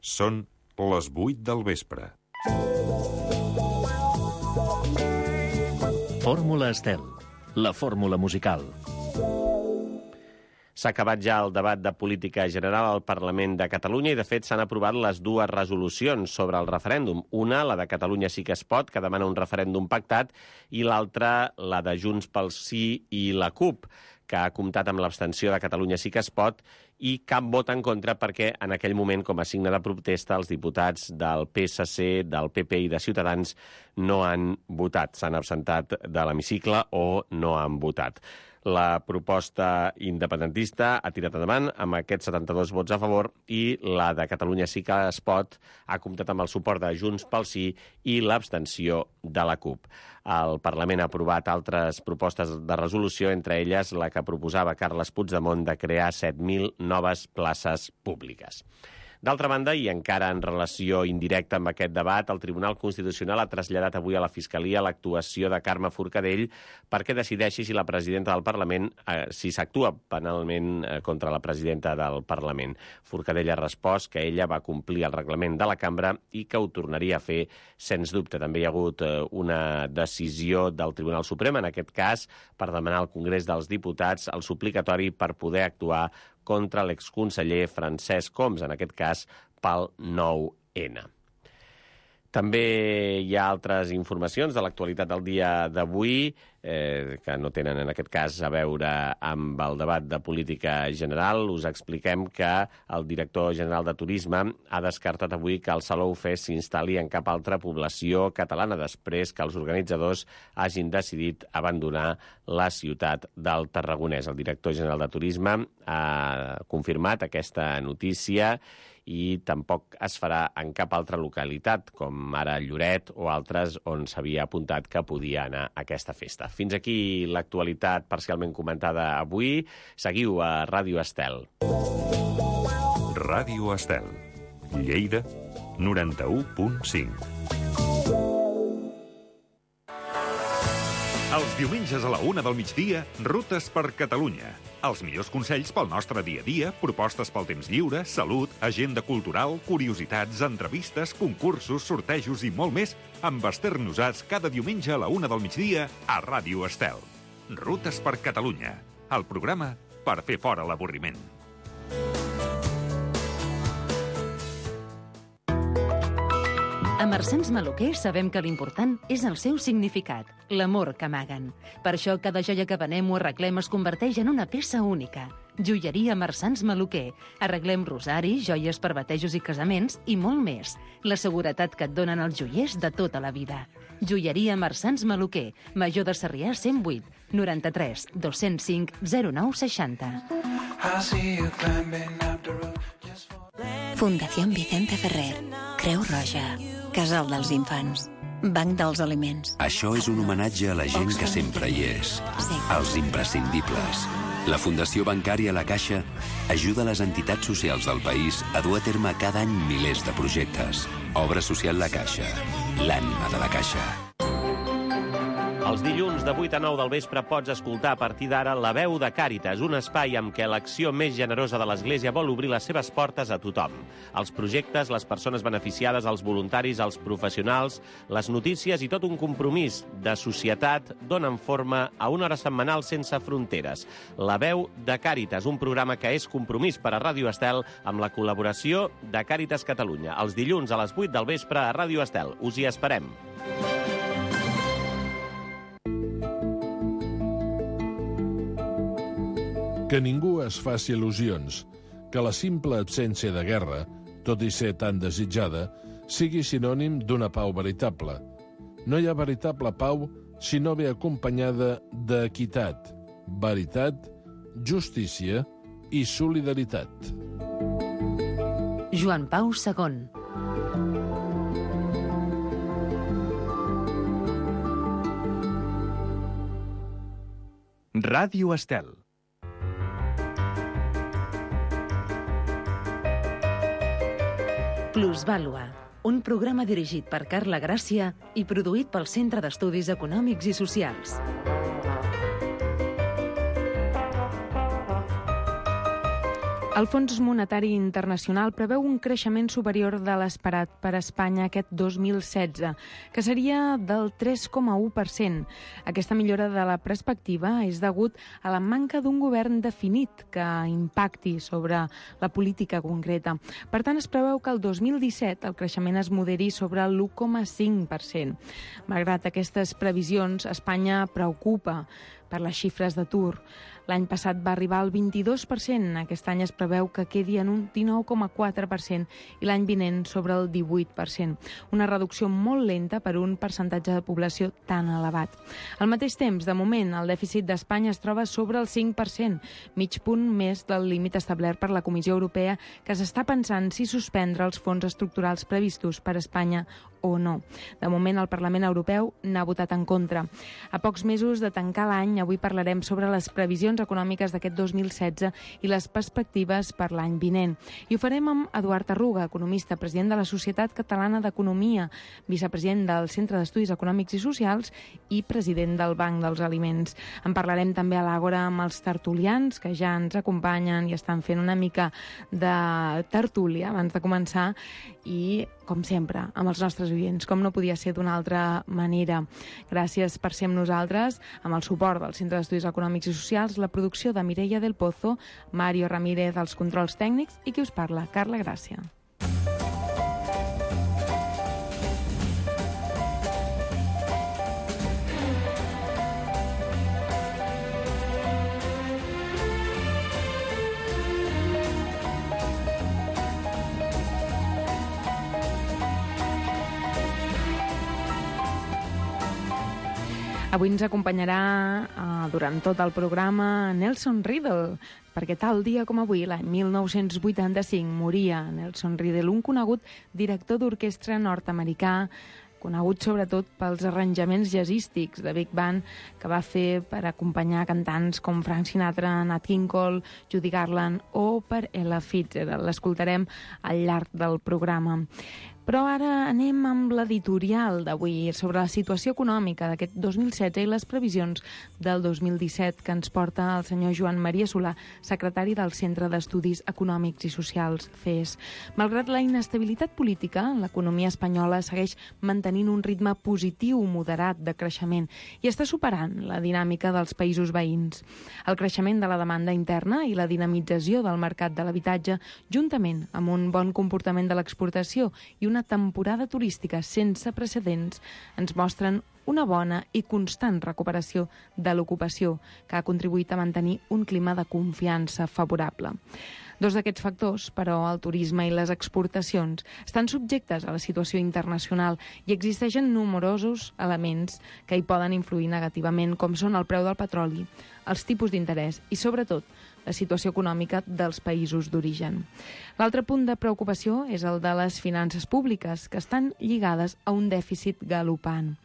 Són les 8 del vespre. Fórmula Estel, la fórmula musical. S'ha acabat ja el debat de política general al Parlament de Catalunya i, de fet, s'han aprovat les dues resolucions sobre el referèndum. Una, la de Catalunya sí que es pot, que demana un referèndum pactat, i l'altra, la de Junts pel Sí i la CUP, que ha comptat amb l'abstenció de Catalunya sí que es pot i cap vot en contra perquè en aquell moment, com a signe de protesta, els diputats del PSC, del PP i de Ciutadans no han votat. S'han absentat de l'hemicicle o no han votat. La proposta independentista ha tirat endavant amb aquests 72 vots a favor i la de Catalunya sí que es pot ha comptat amb el suport de Junts pel Sí i l'abstenció de la CUP. El Parlament ha aprovat altres propostes de resolució, entre elles la que proposava Carles Puigdemont de crear 7.000 noves places públiques. D'altra banda, i encara en relació indirecta amb aquest debat, el Tribunal Constitucional ha traslladat avui a la Fiscalia l'actuació de Carme Forcadell perquè decideixi si la presidenta del Parlament, si s'actua penalment contra la presidenta del Parlament. Forcadell ha respost que ella va complir el reglament de la cambra i que ho tornaria a fer sens dubte. També hi ha hagut una decisió del Tribunal Suprem, en aquest cas, per demanar al Congrés dels Diputats el suplicatori per poder actuar contra l'exconseller Francesc Homs, en aquest cas pel 9N. També hi ha altres informacions de l'actualitat del dia d'avui que no tenen en aquest cas a veure amb el debat de política general. Us expliquem que el director general de Turisme ha descartat avui que el Salou Fest s'instal·li en cap altra població catalana després que els organitzadors hagin decidit abandonar la ciutat del Tarragonès. El director general de Turisme ha confirmat aquesta notícia i tampoc es farà en cap altra localitat, com ara Lloret o altres on s'havia apuntat que podia anar a aquesta festa. Fins aquí l'actualitat parcialment comentada avui. Seguiu a Ràdio Estel. Ràdio Estel, Lleida, 91.5. Els diumenges a la 1 del migdia, Rutes per Catalunya. Els millors consells pel nostre dia a dia, propostes pel temps lliure, salut, agenda cultural, curiositats, entrevistes, concursos, sortejos i molt més amb Esther Nosats cada diumenge a la 1 del migdia a Ràdio Estel. Rutes per Catalunya, el programa per fer fora l'avorriment. A Marsans Maluquer sabem que l'important és el seu significat, l'amor que amaguen. Per això cada joia que venem o arreglem es converteix en una peça única. Joieria Marsans Maluquer. Arreglem rosaris, joies per batejos i casaments i molt més. La seguretat que et donen els joiers de tota la vida. Joieria Marsans Maluquer. Major de Sarrià 108 93 205 0960. Fundació Vicente Ferrer, Creu Roja, Casal dels Infants, Banc dels Aliments. Això és un homenatge a la gent que sempre hi és, als imprescindibles. La Fundació Bancària La Caixa ajuda les entitats socials del país a dur a terme cada any milers de projectes. Obra social La Caixa, l'ànima de la Caixa. Els dilluns de 8 a 9 del vespre pots escoltar a partir d'ara La Veu de Càritas, un espai amb què l'acció més generosa de l'Església vol obrir les seves portes a tothom. Els projectes, les persones beneficiades, els voluntaris, els professionals, les notícies i tot un compromís de societat donen forma a una hora setmanal sense fronteres. La Veu de Càritas, un programa que és compromís per a Ràdio Estel amb la col·laboració de Càritas Catalunya. Els dilluns a les 8 del vespre a Ràdio Estel. Us hi esperem. Que ningú es faci il·lusions, que la simple absència de guerra, tot i ser tan desitjada, sigui sinònim d'una pau veritable. No hi ha veritable pau si no ve acompanyada d'equitat, veritat, justícia i solidaritat. Joan Pau II. Ràdio Estel. Plusvàlua, un programa dirigit per Carla Gràcia i produït pel Centre d'Estudis Econòmics i Socials. El Fons Monetari Internacional preveu un creixement superior de l'esperat per a Espanya aquest 2016, que seria del 3,1%. Aquesta millora de la perspectiva és degut a la manca d'un govern definit que impacti sobre la política concreta. Per tant, es preveu que el 2017 el creixement es moderi sobre l'1,5%. Malgrat aquestes previsions, Espanya preocupa per les xifres d'atur. L'any passat va arribar al 22%, aquest any es preveu que quedi en un 19,4% i l'any vinent sobre el 18%. Una reducció molt lenta per un percentatge de població tan elevat. Al mateix temps, de moment, el dèficit d'Espanya es troba sobre el 5%, mig punt més del límit establert per la Comissió Europea, que s'està pensant si suspendre els fons estructurals previstos per Espanya o no. De moment, el Parlament Europeu n'ha votat en contra. A pocs mesos de tancar l'any, avui parlarem sobre les previsions econòmiques d'aquest 2016 i les perspectives per l'any vinent. I ho farem amb Eduard Arruga, economista, president de la Societat Catalana d'Economia, vicepresident del Centre d'Estudis Econòmics i Socials i president del Banc dels Aliments. En parlarem també a l'Àgora amb els tertulians, que ja ens acompanyen i estan fent una mica de tertúlia abans de començar i, com sempre, amb els nostres oients, com no podia ser d'una altra manera. Gràcies per ser amb nosaltres, amb el suport del Centre d'Estudis Econòmics i Socials, la producció de Mireia del Pozo, Mario Ramírez als controls tècnics i qui us parla, Carla Gràcia. Avui ens acompanyarà durant tot el programa Nelson Riddle, perquè tal dia com avui, l'any 1985, moria Nelson Riddle, un conegut director d'orquestra nord-americà, conegut sobretot pels arranjaments jazzístics de Big Band que va fer per acompanyar cantants com Frank Sinatra, Nat King Cole, Judy Garland o per Ella Fitzgerald. L'escoltarem al llarg del programa. Però ara anem amb l'editorial d'avui sobre la situació econòmica d'aquest 2016 i les previsions del 2017 que ens porta el senyor Joan Maria Solà, secretari del Centre d'Estudis Econòmics i Socials, CES. Malgrat la inestabilitat política, l'economia espanyola segueix mantenint un ritme positiu moderat de creixement i està superant la dinàmica dels països veïns. El creixement de la demanda interna i la dinamització del mercat de l'habitatge, juntament amb un bon comportament de l'exportació i una temporada turística sense precedents, ens mostren una bona i constant recuperació de l'ocupació que ha contribuït a mantenir un clima de confiança favorable. Dos d'aquests factors, però, el turisme i les exportacions, estan subjectes a la situació internacional i existeixen numerosos elements que hi poden influir negativament, com són el preu del petroli, els tipus d'interès i, sobretot, la situació econòmica dels països d'origen. L'altre punt de preocupació és el de les finances públiques, que estan lligades a un dèficit galopant.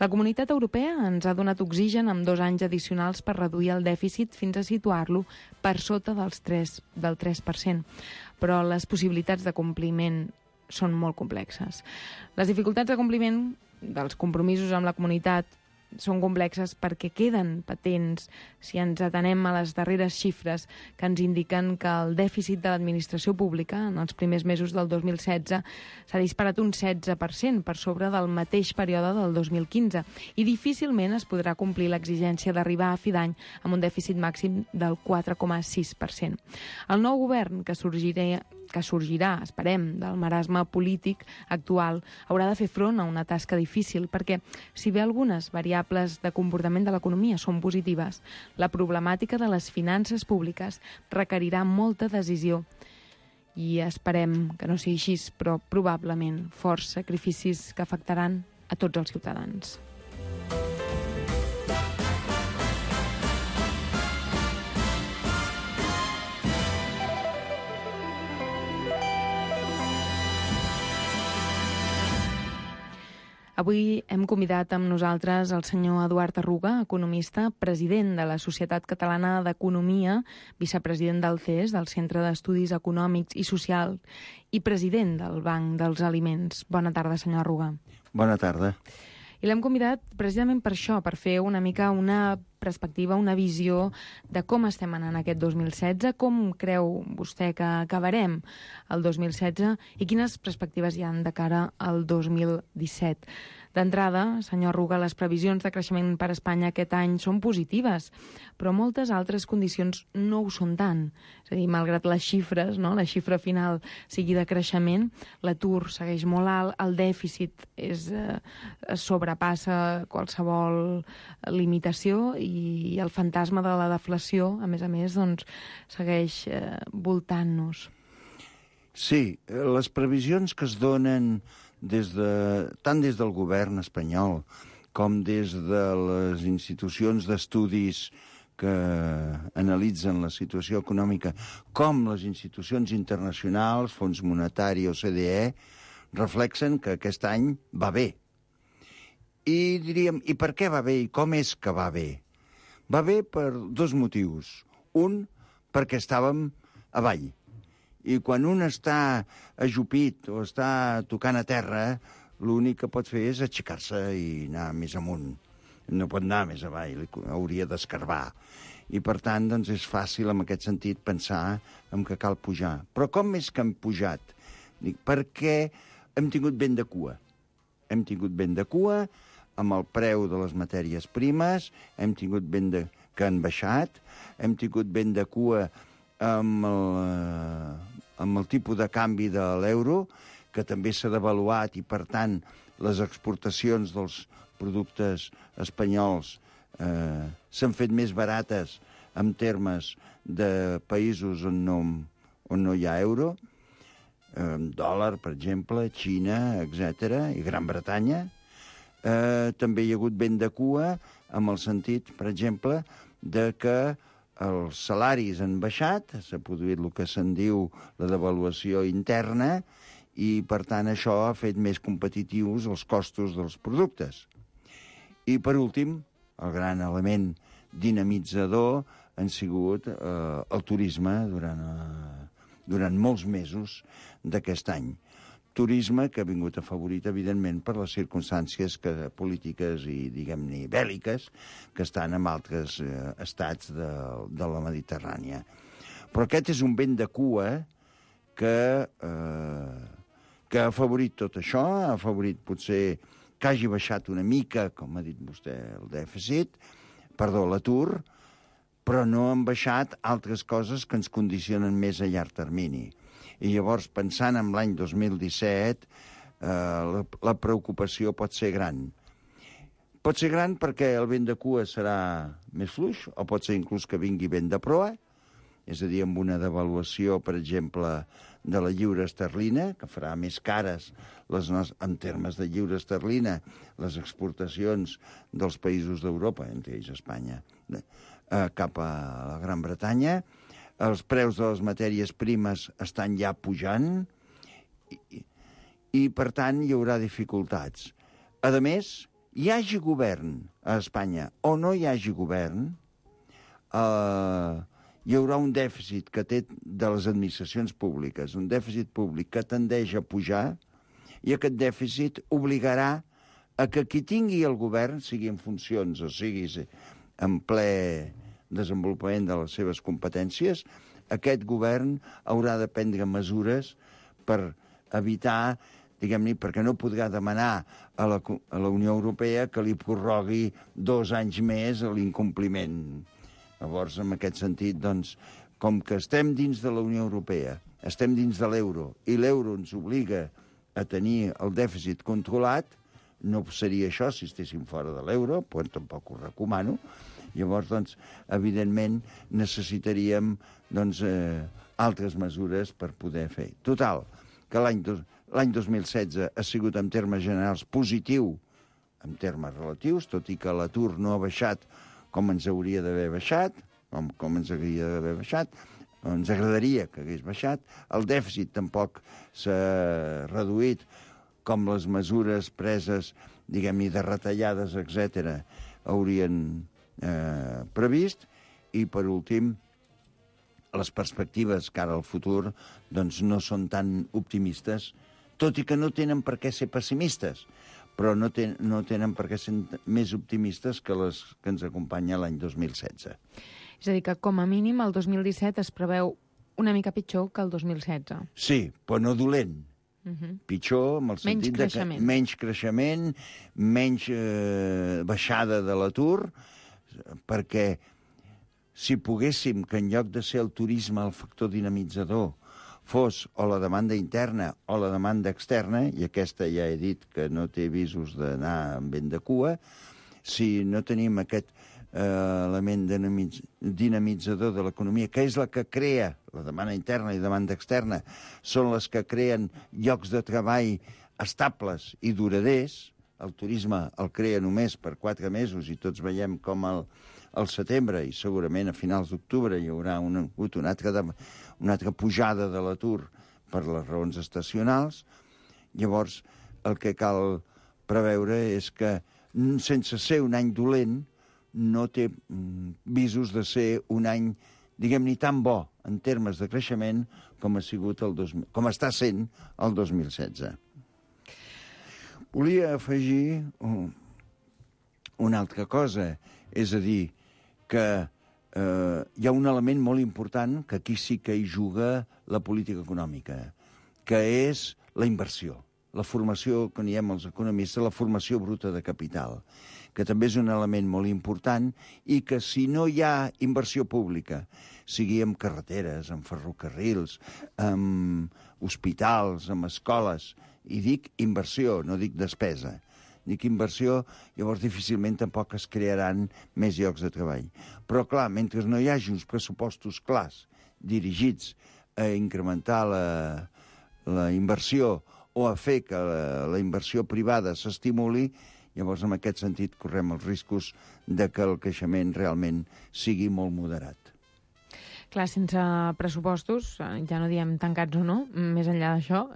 La Comunitat Europea ens ha donat oxigen amb 2 anys addicionals per reduir el dèficit fins a situar-lo per sota del 3%, però les possibilitats de compliment són molt complexes. Les dificultats de compliment dels compromisos amb la comunitat són complexes perquè queden patents si ens atenem a les darreres xifres que ens indiquen que el dèficit de l'administració pública en els primers mesos del 2016 s'ha disparat un 16% per sobre del mateix període del 2015 i difícilment es podrà complir l'exigència d'arribar a fi d'any amb un dèficit màxim del 4,6%. El nou govern que sorgirà, esperem, del marasme polític actual, haurà de fer front a una tasca difícil, perquè si bé algunes variables de comportament de l'economia són positives, la problemàtica de les finances públiques requerirà molta decisió. I esperem que no sigui així, però probablement forts sacrificis que afectaran a tots els ciutadans. Avui hem convidat amb nosaltres el senyor Eduard Arruga, economista, president de la Societat Catalana d'Economia, vicepresident del CES, del Centre d'Estudis Econòmics i Socials, i president del Banc dels Aliments. Bona tarda, senyor Arruga. Bona tarda. I l'hem convidat precisament per això, per fer una mica una perspectiva, una visió de com estem anant aquest 2016, com creu vostè que acabarem el 2016 i quines perspectives hi han de cara al 2017. D'entrada, senyor Ruga, les previsions de creixement per a Espanya aquest any són positives, però moltes altres condicions no ho són tant. És a dir, malgrat les xifres, no? La xifra final sigui de creixement, l'atur segueix molt alt, el dèficit sobrepassa qualsevol limitació i el fantasma de la deflació, a més, doncs, segueix voltant-nos. Sí, les previsions que es donen tant des del govern espanyol com des de les institucions d'estudis que analitzen la situació econòmica, com les institucions internacionals, Fons Monetari, OCDE, reflexen que aquest any va bé. I diríem, i per què va bé i com és que va bé? Va bé per dos motius. Un, perquè estàvem avall. I quan un està ajupit o està tocant a terra, l'únic que pot fer és aixecar-se i anar més amunt. No pot anar més avall, hauria d'escarbar. I, per tant, doncs, és fàcil, en aquest sentit, pensar en que cal pujar. Però com és que hem pujat? Dic, perquè hem tingut vent de cua. Hem tingut vent de cua amb el preu de les matèries primes, hem tingut vent que han baixat, hem tingut vent de cua amb el tipus de canvi de l'euro, que també s'ha devaluat i, per tant, les exportacions dels productes espanyols s'han fet més barates en termes de països on no hi ha euro, dòlar, per exemple, Xina, etc., i Gran Bretanya. També hi ha hagut vent de cua amb el sentit, per exemple, de que els salaris han baixat, s'ha produït el que se'n diu la devaluació interna i, per tant, això ha fet més competitius els costos dels productes. I, per últim, el gran element dinamitzador han sigut el turisme durant molts mesos d'aquest any. Turisme que ha vingut afavorit, evidentment, per les circumstàncies polítiques i, diguem-ne, bèl·liques que estan en altres estats de la Mediterrània. Però aquest és un vent de cua que ha afavorit tot això, ha afavorit potser que hagi baixat una mica, com ha dit vostè, l'atur, però no han baixat altres coses que ens condicionen més a llarg termini. I llavors, pensant en l'any 2017, la preocupació pot ser gran. Pot ser gran perquè el vent de cua serà més fluix, o pot ser inclús que vingui vent de proa, és a dir, amb una devaluació, per exemple, de la lliura esterlina, que farà més cares, en termes de lliura esterlina, les exportacions dels països d'Europa, entre ells Espanya, cap a la Gran Bretanya. Els preus de les matèries primes estan ja pujant i, per tant, hi haurà dificultats. A més, hi hagi govern a Espanya o no hi hagi govern, hi haurà un dèficit que té de les administracions públiques, un dèficit públic que tendeix a pujar, i aquest dèficit obligarà a que qui tingui el govern, sigui en funcions o sigui en ple desenvolupament de les seves competències, aquest govern haurà de prendre mesures per evitar, diguem-ne, perquè no podrà demanar a la Unió Europea que li prorrogui 2 anys més l'incompliment. Llavors, en aquest sentit, doncs, com que estem dins de la Unió Europea, estem dins de l'euro, i l'euro ens obliga a tenir el dèficit controlat, no seria això si estéssim fora de l'euro, però tampoc ho recomano. Llavors, doncs, evidentment, necessitaríem altres mesures per poder fer. Total, que l'any 2016 ha sigut, en termes generals, positiu, en termes relatius, tot i que l'atur no ha baixat com ens hauria d'haver baixat, com ens hauria d'haver baixat, ens agradaria que hagués baixat. El dèficit tampoc s'ha reduït com les mesures preses, diguem-ne, de retallades, etc., haurien previst. I, per últim, les perspectives cara al futur doncs no són tan optimistes, tot i que no tenen per què ser pessimistes, però no tenen per què ser més optimistes que les que ens acompanya l'any 2016. És a dir, que com a mínim el 2017 es preveu una mica pitjor que el 2016. Sí, però no dolent. Pitjor, en el sentit que menys creixement, menys baixada de l'atur, perquè si poguéssim que en lloc de ser el turisme el factor dinamitzador fos o la demanda interna o la demanda externa, i aquesta ja he dit que no té visos d'anar amb vent de cua, si no tenim aquest element dinamitzador de l'economia, que és la que crea, la demanda interna i demanda externa, són les que creen llocs de treball estables i duraders. El turisme el crea només per 4 mesos i tots veiem com al setembre i segurament a finals d'octubre hi haurà una altra pujada de l'atur per les raons estacionals. Llavors, el que cal preveure és que, sense ser un any dolent, no té visos de ser un any, diguem, ni tan bo en termes de creixement com està sent el 2016. Volia afegir una altra cosa, és a dir, que hi ha un element molt important que aquí sí que hi juga la política econòmica, que és la inversió, la formació que n'hi hem els economistes, la formació bruta de capital, que també és un element molt important i que si no hi ha inversió pública, sigui en carreteres, en ferrocarrils, en hospitals, en escoles, i dic inversió, no dic despesa, dic inversió, llavors difícilment tampoc es crearan més llocs de treball. Però, clar, mentre no hi hagi uns pressupostos clars dirigits a incrementar la inversió o a fer que la inversió privada s'estimuli, llavors, en aquest sentit, correm els riscos de que el creixement realment sigui molt moderat. Clar, sense pressupostos, ja no diem tancats o no, més enllà d'això,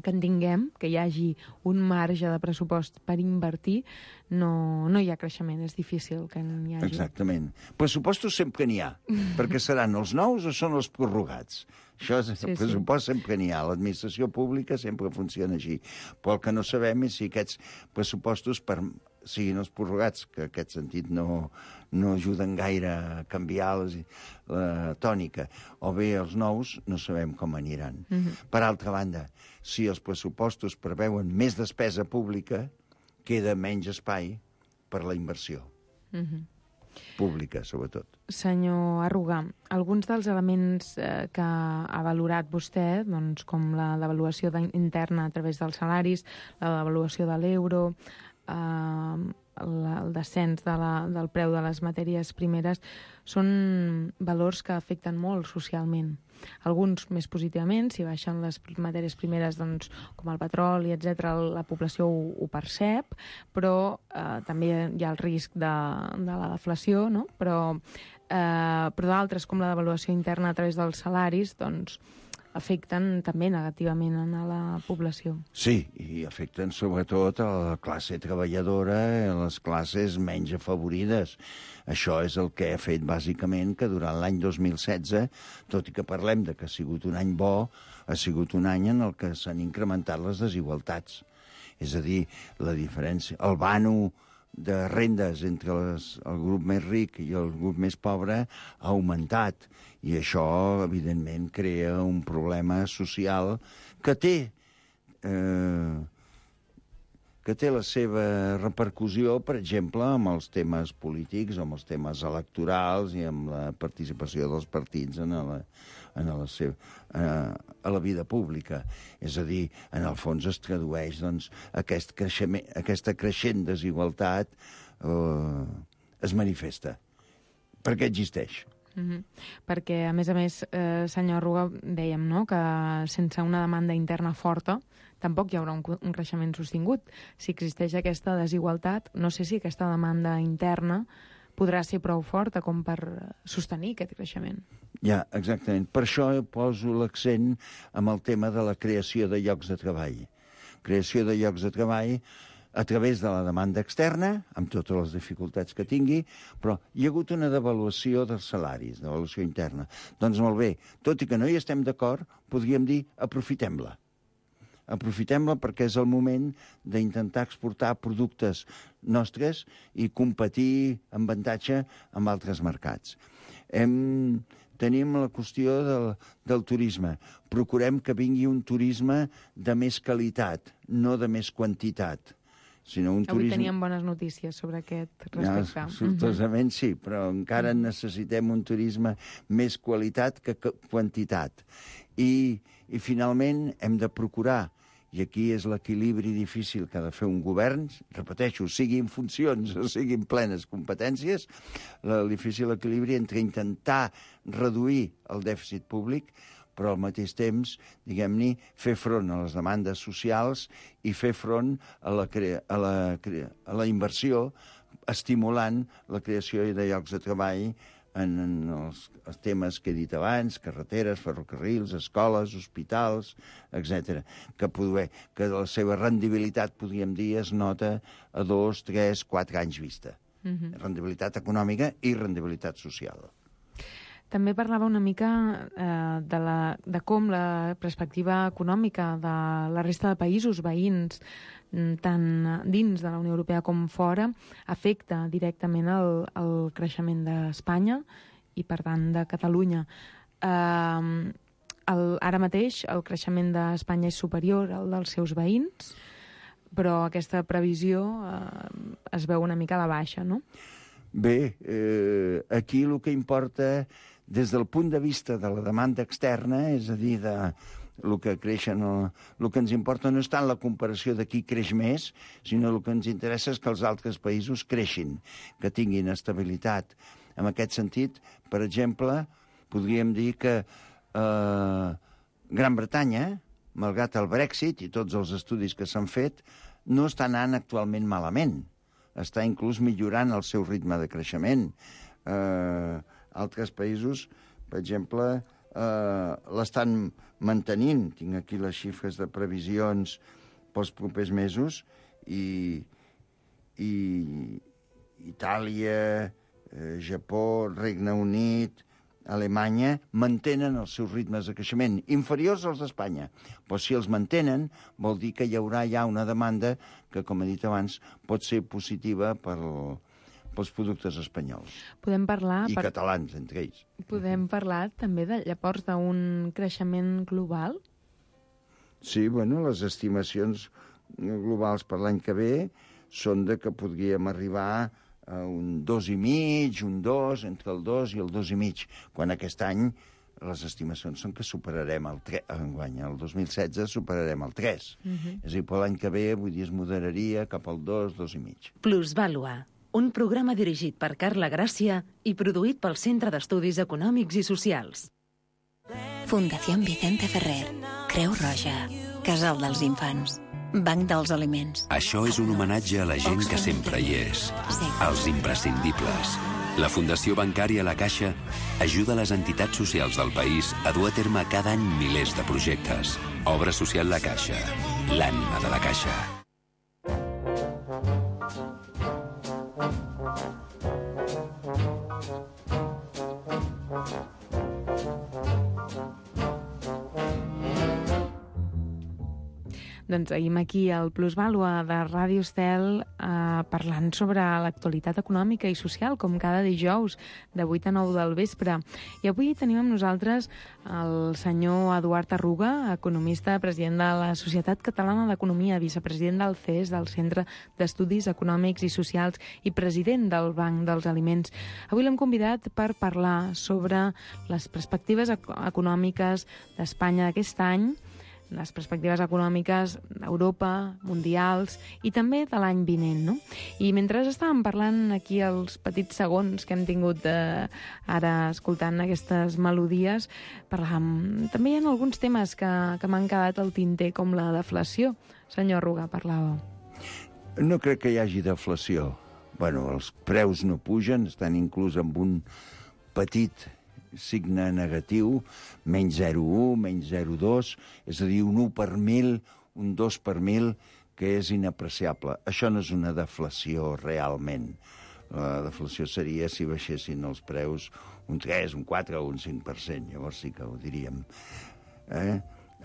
que en tinguem, que hi hagi un marge de pressupost per invertir, no hi ha creixement, és difícil que n'hi hagi. Exactament. Pressupostos sempre n'hi ha, perquè seran els nous o són els prorrogats. Això és el pressupost sempre n'hi ha. L'administració pública sempre funciona així. Però el que no sabem és si aquests pressupostos siguin els prorrogats, que en aquest sentit no ajuden gaire a canviar la tònica, o bé els nous no sabem com aniran. Per altra banda, si els pressupostos preveuen més despesa pública, queda menys espai per la inversió. Pública, sobretot. Senyor Arruga, alguns dels elements que ha valorat vostè, doncs, com la devaluació interna a través dels salaris, la devaluació de l'euro, el descens del preu de les matèries primeres, són valors que afecten molt socialment. Alguns més positivament, si baixen les matèries primeres, doncs, com el petroli, etc., la població ho percep, però també hi ha el risc de la deflació, no? Però d'altres, com la devaluació interna a través dels salaris, doncs, afecten també negativament a la població. Sí, i afecten sobretot a la classe treballadora, a les classes menys afavorides. Això és el que ha fet bàsicament que durant l'any 2016, tot i que parlem de que ha sigut un any bo, ha sigut un any en el que s'han incrementat les desigualtats. És a dir, la diferència, el vano de rendes entre el grup més ric i el grup més pobre ha augmentat, i això, evidentment, crea un problema social que té la seva repercussió, per exemple, amb els temes polítics, amb els temes electorals i amb la participació dels partits a la vida pública. És a dir, en el fons es tradueix, doncs, aquesta creixent desigualtat es manifesta, perquè existeix. Perquè, a més, senyor Arruga, dèiem, no?, que sense una demanda interna forta tampoc hi haurà un creixement sostingut. Si existeix aquesta desigualtat, no sé si aquesta demanda interna podrà ser prou forta com per sostenir aquest creixement. Ja, exactament. Per això poso l'accent en el tema de la creació de llocs de treball. Creació de llocs de treball a través de la demanda externa, amb totes les dificultats que tingui, però hi ha hagut una devaluació dels salaris, devaluació interna. Doncs molt bé, tot i que no hi estem d'acord, podríem dir aprofitem-la. aprofitem-la perquè és el moment d'intentar exportar productes nostres i competir amb avantatge amb altres mercats. Tenim la qüestió del turisme. Procurem que vingui un turisme de més qualitat, no de més quantitat. Sinó un Avui turisme... teníem bones notícies sobre aquest respecte. Ja, sortosament sí, però encara necessitem un turisme més qualitat que quantitat. I finalment hem de procurar, i aquí és l'equilibri difícil que ha de fer un govern, repeteixo, sigui en funcions o sigui en plenes competències, el difícil equilibri entre intentar reduir el dèficit públic, però al mateix temps, diguem-ne, fer front a les demandes socials i fer front a la inversió, estimulant la creació de llocs de treball en els temes que he dit abans, carreteres, ferrocarrils, escoles, hospitals, etc. Que la seva rendibilitat, podríem dir, es nota a 2, 3, 4 anys vista. Rendibilitat econòmica i rendibilitat social. També parlava una mica de com la perspectiva econòmica de la resta de països veïns, tant dins de la Unió Europea com fora, afecta directament el creixement d'Espanya i, per tant, de Catalunya. Ara mateix el creixement d'Espanya és superior al dels seus veïns, però aquesta previsió es veu una mica a la baixa, no? Bé, aquí el que importa des del punt de vista de la demanda externa, és a dir, el que ens importa no és tant la comparació de qui creix més, sinó el que ens interessa és que els altres països creixin, que tinguin estabilitat. En aquest sentit, per exemple, podríem dir que Gran Bretanya, malgrat el Brexit i tots els estudis que s'han fet, no està anant actualment malament. Està inclús millorant el seu ritme de creixement. Altres països, per exemple, l'estan mantenint. Tinc aquí les xifres de previsions pels propers mesos i Itàlia, Japó, Regne Unit, Alemanya mantenen els seus ritmes de creixement inferiors als d'Espanya. Però si els mantenen, vol dir que hi haurà ja una demanda que, com he dit abans, pot ser positiva pels productes espanyols. Podem parlar... I catalans, entre ells. Podem parlar també llavors d'un creixement global? Sí, bueno, les estimacions globals per l'any que ve són de que podríem arribar a un 2,5, un 2, entre el 2 i el 2,5, quan aquest any les estimacions són que superarem el 3, enguany, el 2016 superarem el 3. És a dir, per l'any que ve, vull dir, es moderaria cap al 2, 2,5. Plusvàlua, un programa dirigit per Carla Gràcia i produït pel Centre d'Estudis Econòmics i Socials. Fundació Vicente Ferrer, Creu Roja, Casal dels Infants, Banc dels Aliments. Això és un homenatge a la gent que sempre hi és, als imprescindibles. La Fundació Bancària La Caixa ajuda les entitats socials del país a dur a terme cada any milers de projectes. Obra social La Caixa, l'ànima de la Caixa. Doncs seguim aquí al Plusvàlua de Ràdio Estel parlant sobre l'actualitat econòmica i social, com cada dijous, de 8 a 9 del vespre. I avui tenim amb nosaltres el senyor Eduard Arruga, economista, president de la Societat Catalana d'Economia, vicepresident del CES, del Centre d'Estudis Econòmics i Socials, i president del Banc dels Aliments. Avui l'hem convidat per parlar sobre les perspectives econòmiques d'Espanya d'aquest any, les perspectives econòmiques d'Europa, mundials, i també de l'any vinent, no? I mentre estàvem parlant aquí els petits segons que hem tingut ara escoltant aquestes melodies, parlàvem... També hi ha alguns temes que m'han quedat al tinter, com la deflació. Senyor Arruga, parlava. No crec que hi hagi deflació. Bueno, els preus no pugen, estan inclús amb un petit signe negatiu, menys 0,1, menys 0,2, és a dir, un 1 per 1.000, un 2 per 1.000, que és inapreciable. Això no és una deflació realment. La deflació seria si baixessin els preus un 3, un 4 o un 5%, llavors sí que ho diríem.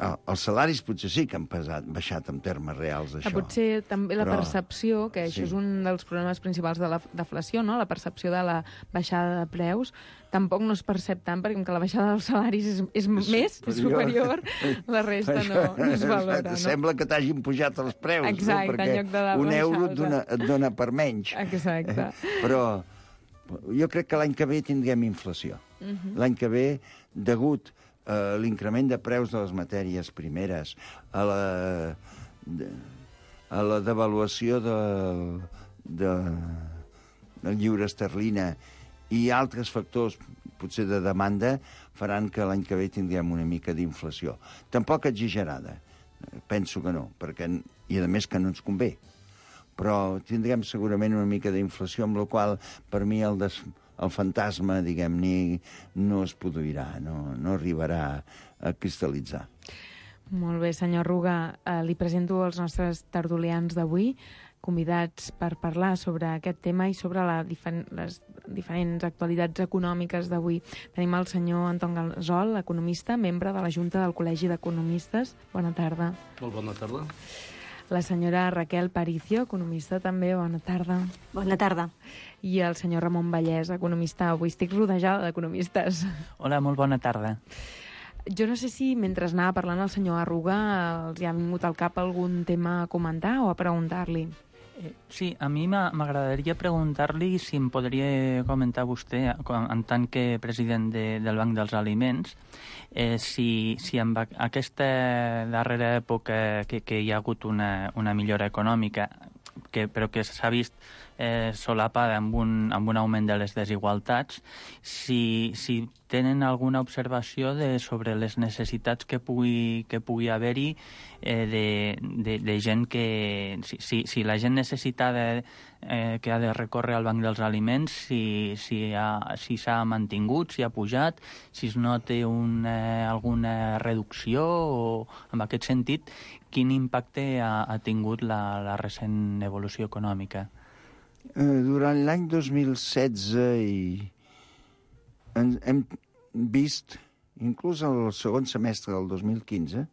Els salaris potser sí que han baixat en termes reals, això. Potser també la percepció, que això és un dels problemes principals de la deflació, no? La percepció de la baixada de preus, tampoc no es percep tant, perquè la baixada dels salaris és més superior, la resta no es valora. No? Sembla que t'hagin pujat els preus, exacte, no? Perquè un euro et dona per menys. Exacte. Però jo crec que l'any que ve tindrem inflació. L'any que ve, degut l'increment de preus de les matèries primeres, a la devaluació del lliure esterlina i altres factors, potser de demanda, faran que l'any que ve tindrem una mica d'inflació. Tampoc exagerada, penso que no, i a més que no ens convé. Però tindrem segurament una mica d'inflació, amb la qual per mi el fantasma, diguem-ne, no es produirà, no arribarà a cristal·litzar. Molt bé, senyor Ruga. Li presento els nostres tertulians d'avui, convidats per parlar sobre aquest tema i sobre les diferents actualitats econòmiques d'avui. Tenim el senyor Anton Gasol, economista, membre de la Junta del Col·legi d'Economistes. Bona tarda. Molt bona tarda. La senyora Raquel Paricio, economista també, bona tarda. Bona tarda. I el senyor Ramon Vallès, economista. Avui estic rodejada d'economistes. Hola, molt bona tarda. Jo no sé si mentre anava parlant el senyor Arruga els hi ha vingut al cap algun tema a comentar o a preguntar-li. Sí, a mi m'agradaria preguntar-li si em podria comentar vostè, en tant que president del Banc dels Aliments, si amb aquesta darrera època que hi ha hagut una millora econòmica, però que s'ha vist solapada amb un augment de les desigualtats, si tenen alguna observació sobre les necessitats que pugui haver-hi de gent que... Si la gent necessitada que ha de recórrer al Banc dels Aliments, si s'ha mantingut, si ha pujat, si es nota alguna reducció, o en aquest sentit, quin impacte ha tingut la recent evolució econòmica? Durant l'any 2016 hem vist, inclús el segon semestre del 2015,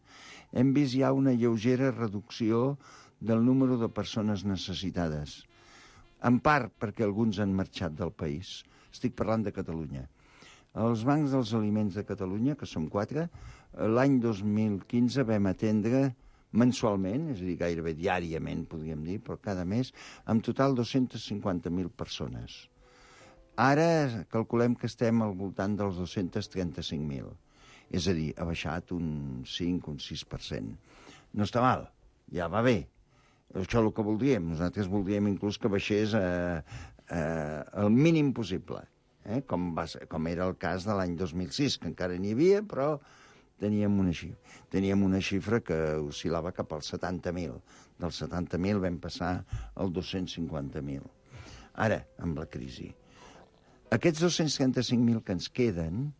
hem vist ja una lleugera reducció del número de persones necessitades. En part perquè alguns han marxat del país. Estic parlant de Catalunya. Els bancs dels aliments de Catalunya, que som 4, l'any 2015 vam atendre mensualment, és a dir, gairebé diàriament, podríem dir, però cada mes, en total 250.000 persones. Ara calculem que estem al voltant dels 235.000. És a dir, ha baixat un 5, un 6%. No està mal, ja va bé. Això és el que voldríem. Nosaltres voldríem inclús que baixés el mínim possible, com era el cas de l'any 2006, que encara n'hi havia, però teníem una xifra que oscil·lava cap als 70.000. Dels 70.000 vam passar als 250.000. Ara, amb la crisi. Aquests 235.000 que ens queden,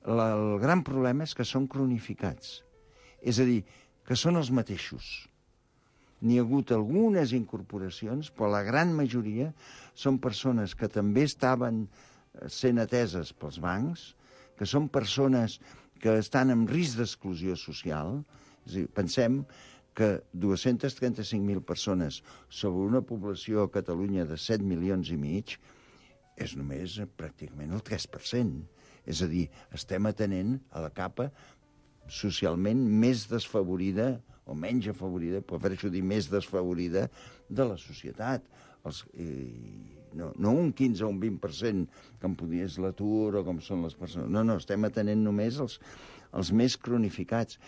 el gran problema és que són cronificats. És a dir, que són els mateixos. N'hi ha hagut algunes incorporacions, però la gran majoria són persones que també estaven sent ateses pels bancs, que són persones que estan en risc d'exclusió social. És a dir, pensem que 235.000 persones sobre una població a Catalunya de 7 milions i mig és només pràcticament el 3%. És a dir, estem atenent a la capa socialment més desfavorida, o menys afavorida, prefereixo dir més desfavorida, de la societat. No un 15 o un 20%, com podria ser l'atur o com són les persones. No, estem atenent només els més cronificats.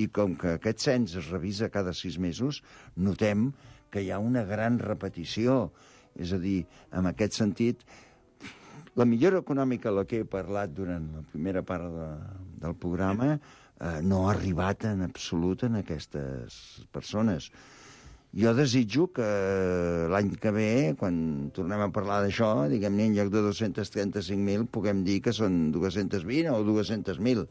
I com que aquest cens es revisa cada 6 mesos, notem que hi ha una gran repetició. És a dir, en aquest sentit, la millora econòmica a la que he parlat durant la primera part del programa no ha arribat en absolut en aquestes persones. Jo desitjo que l'any que ve, quan tornem a parlar d'això, diguem-ne, en lloc de 235.000, puguem dir que són 220 o 200.000.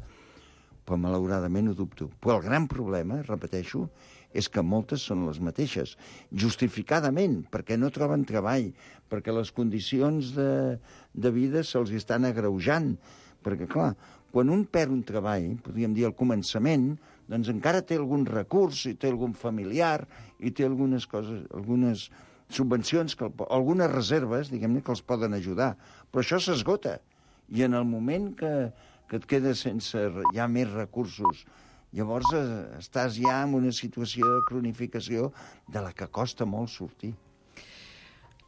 Però malauradament ho dubto. Però el gran problema, repeteixo, és que moltes són les mateixes, justificadament, perquè no troben treball, perquè les condicions de vida se'ls estan agreujant. Perquè, clar, quan un perd un treball, podríem dir al començament, doncs encara té algun recurs, i té algun familiar, i té algunes coses, algunes subvencions, algunes reserves, diguem-ne, que els poden ajudar. Però això s'esgota. I en el moment que et quedes sense ja més recursos, llavors estàs ja en una situació de cronificació de la que costa molt sortir.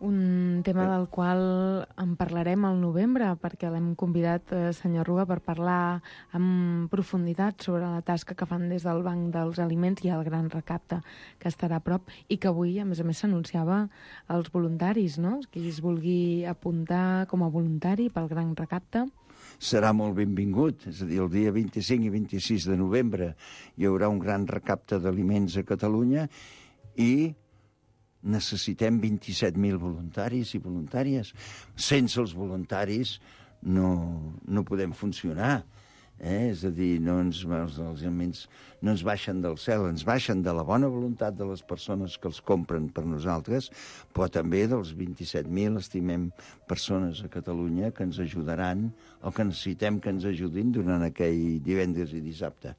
Un tema del qual en parlarem al novembre, perquè l'hem convidat, senyor Ruga, per parlar amb profunditat sobre la tasca que fan des del Banc dels Aliments i el Gran Recapte, que estarà a prop, i que avui, a més, s'anunciava als voluntaris, no? Qui es vulgui apuntar com a voluntari pel Gran Recapte. Serà molt benvingut. És a dir, el dia 25 i 26 de novembre hi haurà un gran recapte d'aliments a Catalunya i necessitem 27.000 voluntaris i voluntàries. Sense els voluntaris no podem funcionar. És a dir, els aliments no ens baixen del cel, ens baixen de la bona voluntat de les persones que els compren per nosaltres, però també dels 27.000, estimem, persones a Catalunya que ens ajudaran o que necessitem que ens ajudin durant aquell divendres i dissabte.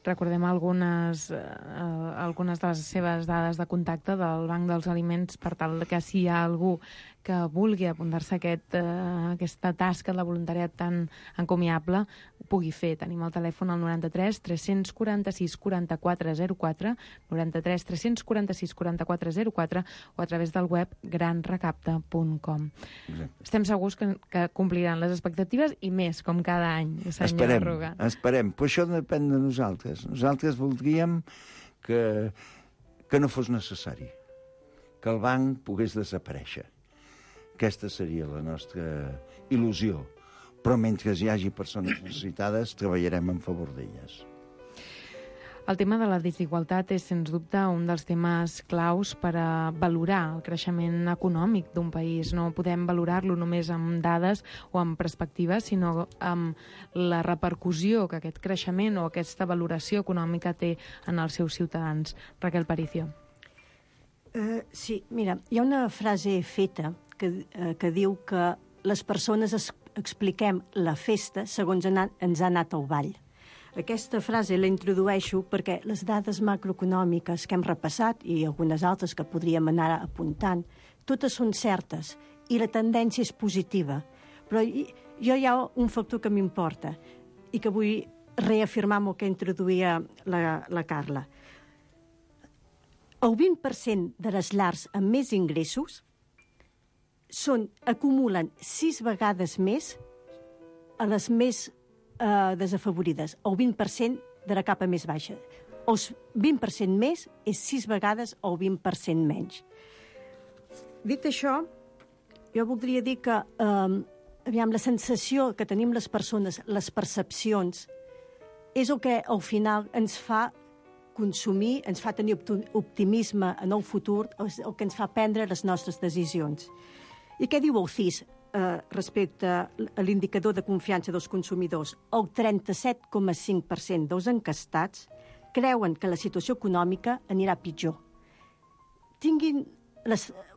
Recordem algunes de les seves dades de contacte del Banc dels Aliments per tal que si hi ha algú que vulgui apuntar-se a aquesta tasca de voluntariat tan encomiable, ho pugui fer. Tenim el telèfon al 93 346 44 04, 93 346 44 04, o a través del web granrecapte.com. Estem segurs que compliran les expectatives i més, com cada any, senyor Ruga. Esperem. Però això depèn de nosaltres. Nosaltres voldríem que no fos necessari, que el banc pogués desaparèixer. Aquesta seria la nostra il·lusió. Però mentre hi hagi persones necessitades, treballarem en favor d'elles. El tema de la desigualtat és, sens dubte, un dels temes claus per a valorar el creixement econòmic d'un país. No podem valorar-lo només amb dades o amb perspectives, sinó amb la repercussió que aquest creixement o aquesta valoració econòmica té en els seus ciutadans. Raquel Paricio. Sí, mira, hi ha una frase feta que diu que les persones expliquem la festa segons ens ha anat el ball. Aquesta frase la introdueixo perquè les dades macroeconòmiques que hem repassat i algunes altres que podríem anar apuntant, totes són certes i la tendència és positiva. Però hi ha un factor que m'importa i que vull reafirmar amb el que introduïa la Carla. El 20% de les llars amb més ingressos acumulen 6 vegades més a les més desafavorides, el 20% de la capa més baixa. El 20% més és 6 vegades el 20% menys. Dit això, jo voldria dir que la sensació que tenim les persones, les percepcions, és el que al final ens fa consumir, ens fa tenir optimisme en el futur, el que ens fa prendre les nostres decisions. I què diu el CIS respecte a l'indicador de confiança dels consumidors? El 37,5% dels encastats creuen que la situació econòmica anirà pitjor.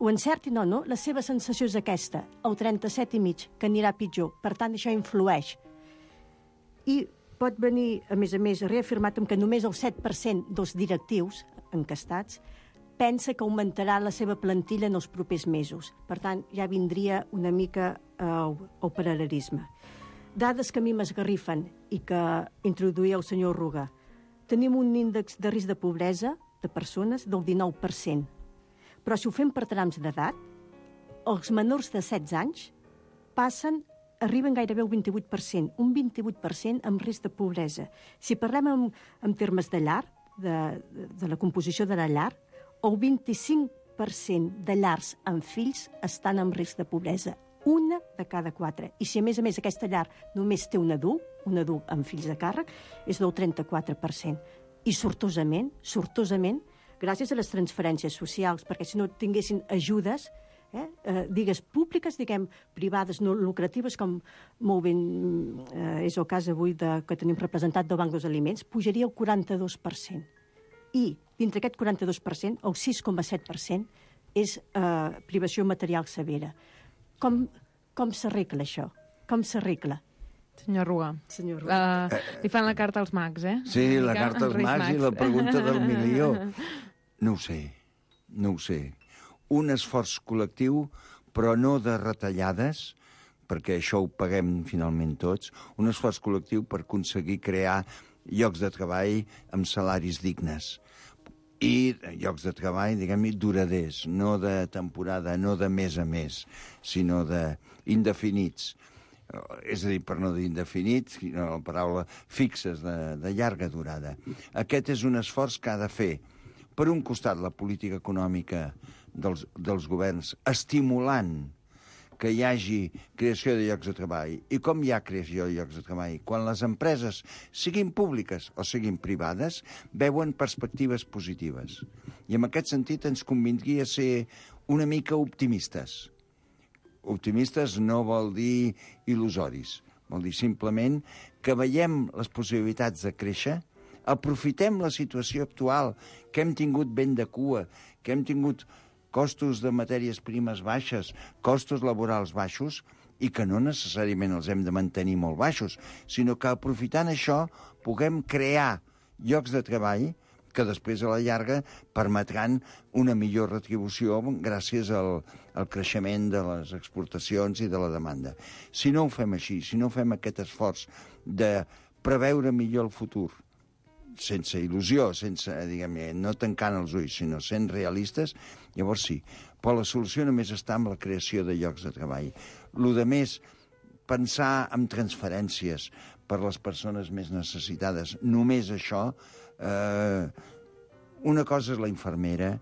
Ho encertin o no, la seva sensació és aquesta, el 37,5%, que anirà pitjor. Per tant, això influeix. I pot venir, a més, reafirmat que només el 7% dels directius encastats pensa que augmentarà la seva plantilla en els propers mesos. Per tant, ja vindria una mica el paral·lelisme. Dades que a mi m'esgarrifen i que introduïa el senyor Ruga. Tenim un índex de risc de pobresa de persones del 19%. Però si ho fem per trams d'edat, els menors de 16 anys arriben gairebé al 28%, un 28% amb risc de pobresa. Si parlem en termes de llar, de la composició de la llar, el 25% de llars amb fills estan en risc de pobresa. 1 de cada 4. I si, a més, aquesta llar només té un adult amb fills a càrrec, és del 34%. I sortosament, gràcies a les transferències socials, perquè si no tinguessin ajudes, digues públiques, privades, no lucratives, com molt ben és el cas avui que tenim representat del Banc dels Aliments, pujaria el 42%. I, dintre aquest 42%, el 6,7% és privació material severa. Com s'arregla això? Com s'arregla? Senyor Rua. Li fan la carta als mags, eh? Sí, la carta als mags i la pregunta del milió. No ho sé. Un esforç col·lectiu, però no de retallades, perquè això ho paguem finalment tots, un esforç col·lectiu per aconseguir crear llocs de treball amb salaris dignes. I llocs de treball, diguem-ne, duraders, no de temporada, no de mes a mes, sinó d'indefinits. És a dir, per no dir indefinits, la paraula fixes, de llarga durada. Aquest és un esforç que ha de fer, per un costat, la política econòmica dels governs, estimulant que hi hagi creació de llocs de treball. I com hi ha creació de llocs de treball? Quan les empreses, siguin públiques o siguin privades, veuen perspectives positives. I en aquest sentit ens convindria ser una mica optimistes. Optimistes no vol dir il·lusoris, vol dir simplement que veiem les possibilitats de créixer, aprofitem la situació actual, que hem tingut vent de cua, que hem tingut costos de matèries primes baixes, costos laborals baixos, i que no necessàriament els hem de mantenir molt baixos, sinó que aprofitant això puguem crear llocs de treball que després a la llarga permetran una millor retribució gràcies al creixement de les exportacions i de la demanda. Si no ho fem així, si no fem aquest esforç de preveure millor el futur, sense il·lusió, no tancant els ulls, sinó sent realistes, llavors sí. Però la solució només està en la creació de llocs de treball. Lo de més, pensar en transferències per les persones més necessitades, només això. Una cosa és la infermera,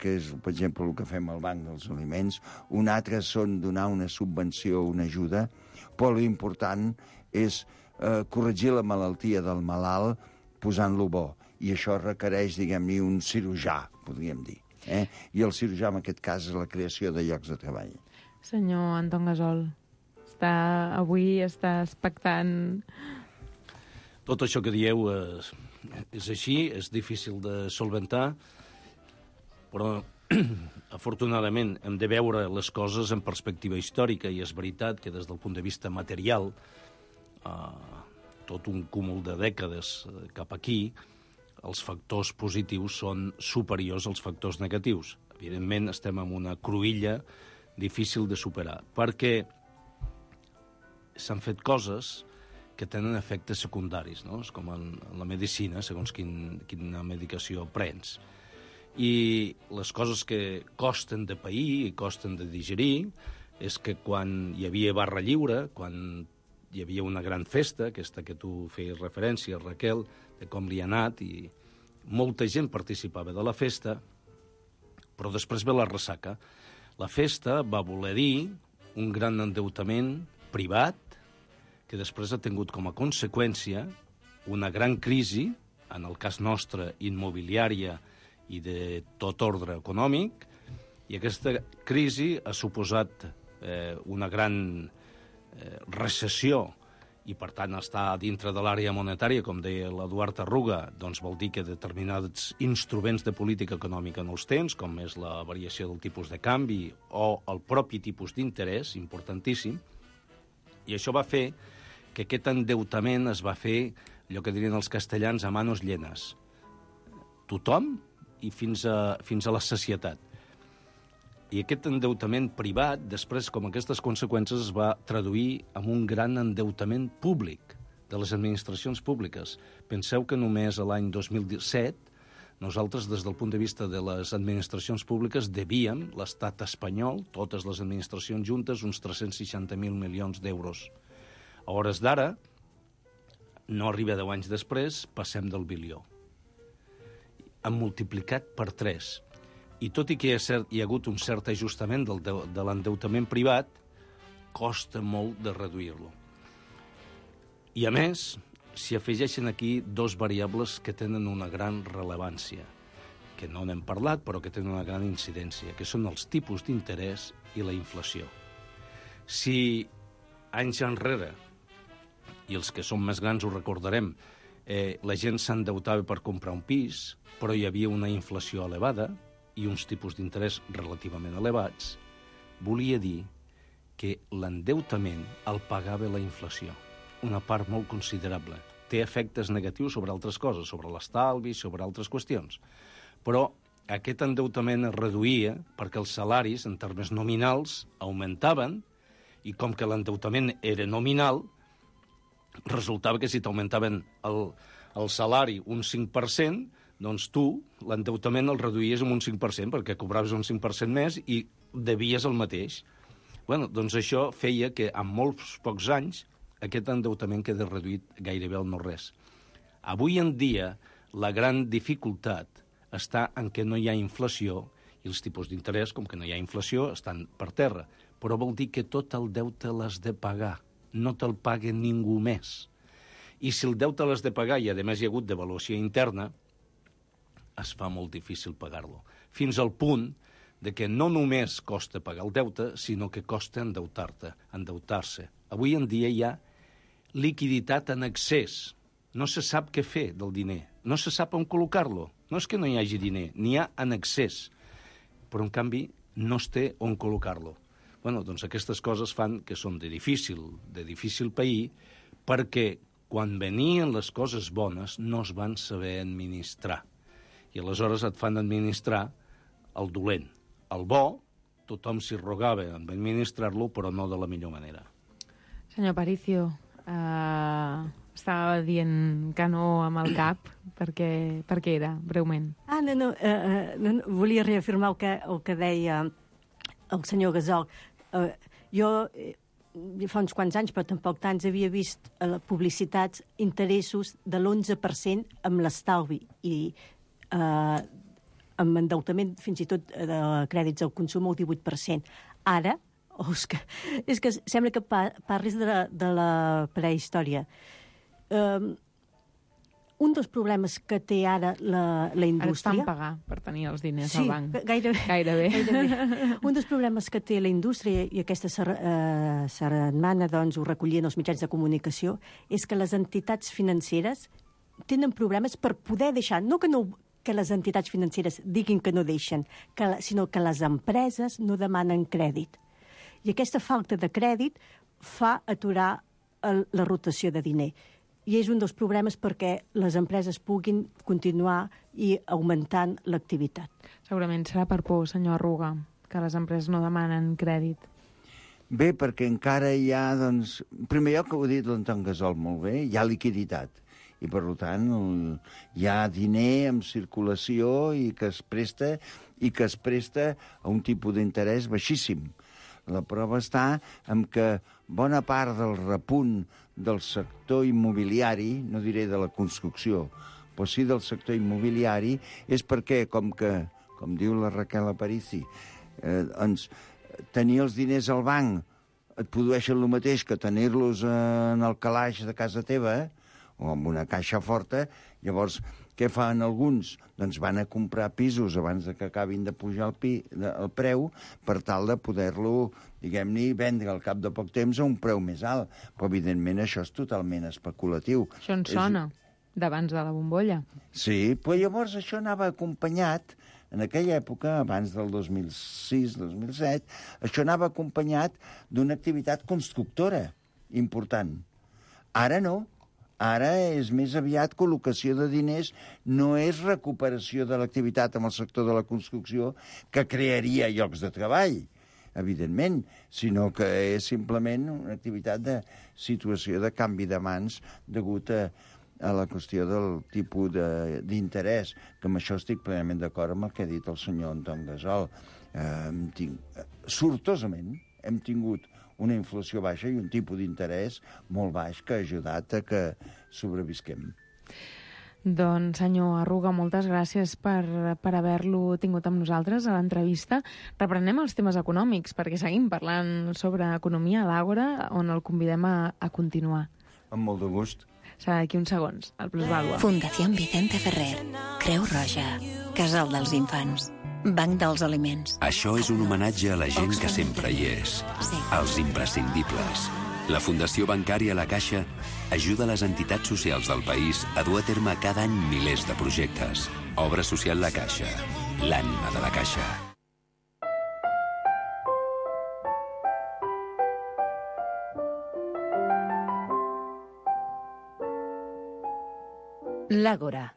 que és, per exemple, el que fem al Banc dels Aliments, una altra són donar una subvenció, una ajuda, però l'important és corregir la malaltia del malalt posant-lo bo. I això requereix, diguem-ne, un cirurgià, podríem dir. I el cirurgià, en aquest cas, és la creació de llocs de treball. Senyor Anton Gasol, avui està expectant... Tot això que dieu és així, és difícil de solventar, però afortunadament hem de veure les coses en perspectiva històrica, i és veritat que des del punt de vista material, tot un cúmul de dècades cap aquí, els factors positius són superiors als factors negatius. Evidentment estem en una cruïlla difícil de superar, perquè s'han fet coses que tenen efectes secundaris, no? És com en la medicina, segons quina medicació prens. I les coses que costen de pair i costen de digerir és que quan hi havia barra lliure, quan hi havia una gran festa, aquesta que tu feies referència, Raquel, de com li ha anat, i molta gent participava de la festa, però després ve la ressaca. La festa va voler dir un gran endeutament privat, que després ha tingut com a conseqüència una gran crisi, en el cas nostre immobiliària i de tot ordre econòmic, i aquesta crisi ha suposat una gran recessió, i per tant estar dintre de l'àrea monetària, com deia l'Eduard Arruga, doncs vol dir que determinats instruments de política econòmica no els tens, com és la variació del tipus de canvi o el propi tipus d'interès, importantíssim, i això va fer que aquest endeutament es va fer, allò que dirien els castellans, a manos llenes. Tothom i fins a la societat. I aquest endeutament privat, després, com aquestes conseqüències, es va traduir en un gran endeutament públic de les administracions públiques. Penseu que només l'any 2017 nosaltres, des del punt de vista de les administracions públiques, devíem, l'estat espanyol, totes les administracions juntes, uns 360.000 milions d'euros. A hores d'ara, no arriba 10 anys després, passem del bilió. Han multiplicat per 3. I tot i que hi ha hagut un cert ajustament de l'endeutament privat, costa molt de reduir-lo. I a més, s'hi afegeixen aquí dos variables que tenen una gran rellevància, que no n'hem parlat, però que tenen una gran incidència, que són els tipus d'interès i la inflació. Si anys enrere, i els que som més grans ho recordarem, la gent s'endeutava per comprar un pis, però hi havia una inflació elevada i uns tipus d'interès relativament elevats, volia dir que l'endeutament el pagava la inflació. una part molt considerable. Té efectes negatius sobre altres coses, sobre l'estalvi, sobre altres qüestions. Però aquest endeutament es reduïa perquè els salaris, en termes nominals, augmentaven, i com que l'endeutament era nominal, resultava que si t'augmentaven el salari un 5%, doncs tu l'endeutament el reduïes en un 5%, perquè cobraves un 5% més i devies el mateix. Bueno, doncs això feia que en molts pocs anys aquest endeutament queda reduït gairebé al no-res. Avui en dia, la gran dificultat està en què no hi ha inflació i els tipus d'interès, com que no hi ha inflació, estan per terra. Però vol dir que tot el deute l'has de pagar. No te'l paga ningú més. I si el deute l'has de pagar i, a més, hi ha hagut devaluació interna, es fa molt difícil pagar-lo. Fins al punt de que no només costa pagar el deute, sinó que costa endeutar-se. Avui en dia hi ha liquiditat en excés. No se sap què fer del diner. No se sap on col·locar-lo. No és que no hi hagi diner, n'hi ha en excés. Però, en canvi, no es té on col·locar-lo. Bueno, doncs aquestes coses fan que són de difícil pair, perquè quan venien les coses bones no es van saber administrar. I aleshores et fan administrar el dolent. El bo, tothom s'hi rogava en administrar-lo, però no de la millor manera. Senyor Aparicio, estava dient que no amb el cap, per què era, breument? No, volia reafirmar el que deia el senyor Gasol. Jo fa uns quants anys, però tampoc tants, havia vist publicitats, interessos de l'11% amb l'estalvi i amb endeutament fins i tot de crèdits al consum al 18%. Ara, és que sembla que parlis de la prehistòria. Un dels problemes que té ara la indústria... Ara et fan pagar per tenir els diners al banc. Sí, gairebé. Un dels problemes que té la indústria, i aquesta setmana doncs, ho recollien els mitjans de comunicació, és que les entitats financeres tenen problemes per poder deixar, no que les entitats financeres diguin que no deixen, sinó que les empreses no demanen crèdit. I aquesta falta de crèdit fa aturar la rotació de diner. I és un dels problemes perquè les empreses puguin continuar i augmentant l'activitat. Segurament serà per por, senyor Arruga, que les empreses no demanen crèdit. Bé, perquè encara hi ha, doncs... En primer lloc, que ho ha dit l'Anton Gasol molt bé, hi ha liquiditat. I, per tant, hi ha diner en circulació i que es presta a un tipus d'interès baixíssim. La prova està en que bona part del repunt del sector immobiliari, no diré de la construcció, però sí del sector immobiliari, és perquè, com diu la Raquel Aparici, tenir els diners al banc et produeixen el mateix que tenir-los en el calaix de casa teva, o en una caixa forta. Llavors, què fan alguns? Doncs van a comprar pisos abans que acabin de pujar el preu per tal de poder-lo, diguem-ne, vendre al cap de poc temps a un preu més alt. Però, evidentment, això és totalment especulatiu. Això ens sona d'abans de la bombolla. Sí, però llavors això anava acompanyat, en aquella època, abans del 2006-2007, això anava acompanyat d'una activitat constructora important. Ara no. Ara és més aviat col·locació de diners, no és recuperació de l'activitat en el sector de la construcció que crearia llocs de treball, evidentment, sinó que és simplement una activitat de situació de canvi de mans degut a la qüestió del tipus d'interès, que amb això estic plenament d'acord amb el que ha dit el senyor Anton Gasol. Sortosament hem tingut una inflació baixa i un tipus d'interès molt baix que ha ajudat a que sobrevisquem. Doncs, senyor Arruga, moltes gràcies per haver-lo tingut amb nosaltres a l'entrevista. Reprenem els temes econòmics, perquè seguim parlant sobre economia a l'Àgora, on el convidem a continuar. Amb molt de gust. Serà d'aquí uns segons, al Plusvàlua. Fundació Vicente Ferrer, Creu Roja, Casal dels Infants, Banc dels Aliments. Això és un homenatge a la gent que sempre hi és. Sí. Els imprescindibles. La Fundació Bancària La Caixa ajuda les entitats socials del país a dur a terme cada any milers de projectes. Obra social La Caixa. L'ànima de la Caixa. L'Àgora.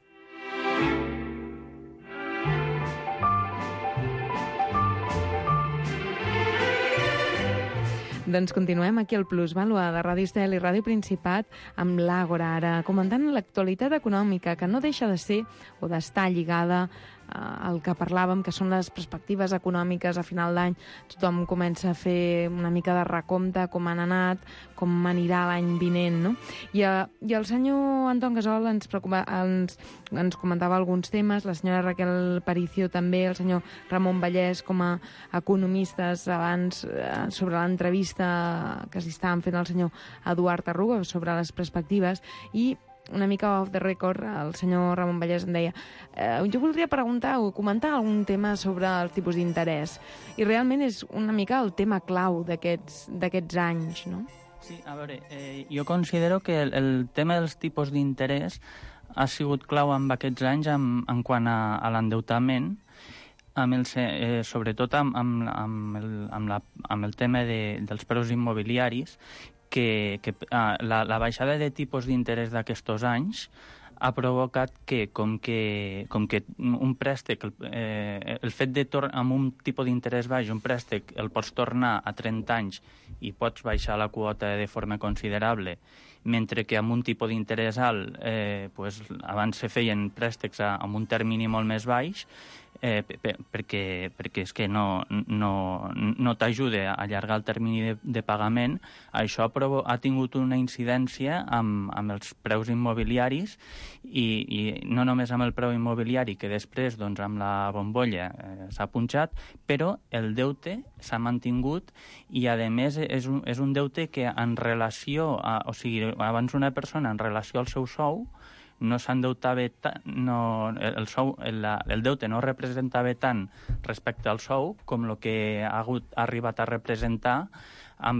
Doncs continuem aquí al Plusvàlua de Ràdio Estel i Ràdio Principat amb l'Àgora, ara comentant l'actualitat econòmica, que no deixa de ser o d'estar lligada al que parlàvem, que són les perspectives econòmiques a final d'any. Tothom comença a fer una mica de recompte, com han anat, com anirà l'any vinent, no? I el senyor Anton Gasol ens comentava alguns temes, la senyora Raquel Paricio també, el senyor Ramon Vallès com a economistes abans sobre l'entrevista que s'hi estaven fent al senyor Eduard Arruga sobre les perspectives, i una mica off the record, el senyor Ramon Vallès em deia jo voldria preguntar o comentar algun tema sobre els tipus d'interès. I realment és una mica el tema clau d'aquests anys, no? Sí, a veure, jo considero que el tema dels tipus d'interès ha sigut clau en aquests anys en quant a l'endeutament, sobretot amb el tema dels preus immobiliaris, que la baixada de tipus d'interès d'aquests anys ha provocat que, com que un préstec, el fet de amb un tipus d'interès baix, un préstec el pots tornar a 30 anys i pots baixar la quota de forma considerable, mentre que amb un tipus d'interès alt abans se feien préstecs amb un termini molt més baix, perquè és que no t'ajuda a allargar el termini de pagament. Això ha tingut una incidència amb els preus immobiliaris i no només amb el preu immobiliari, que després amb la bombolla s'ha punxat, però el deute s'ha mantingut i, a més, és un deute que en relació o sigui, abans una persona en relació al seu sou no s'endeutava tant, el deute no representava tant respecte al sou com el que ha arribat a representar amb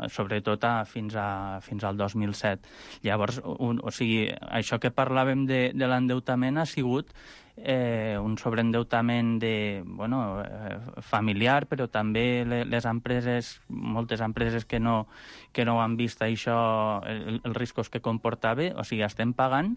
sobretot fins al 2007. Llavors, això que parlàvem de l'endeutament ha sigut un sobreendeutament familiar, però també les empreses, moltes empreses que no han vist això, els riscos que comportava. O sigui, estem pagant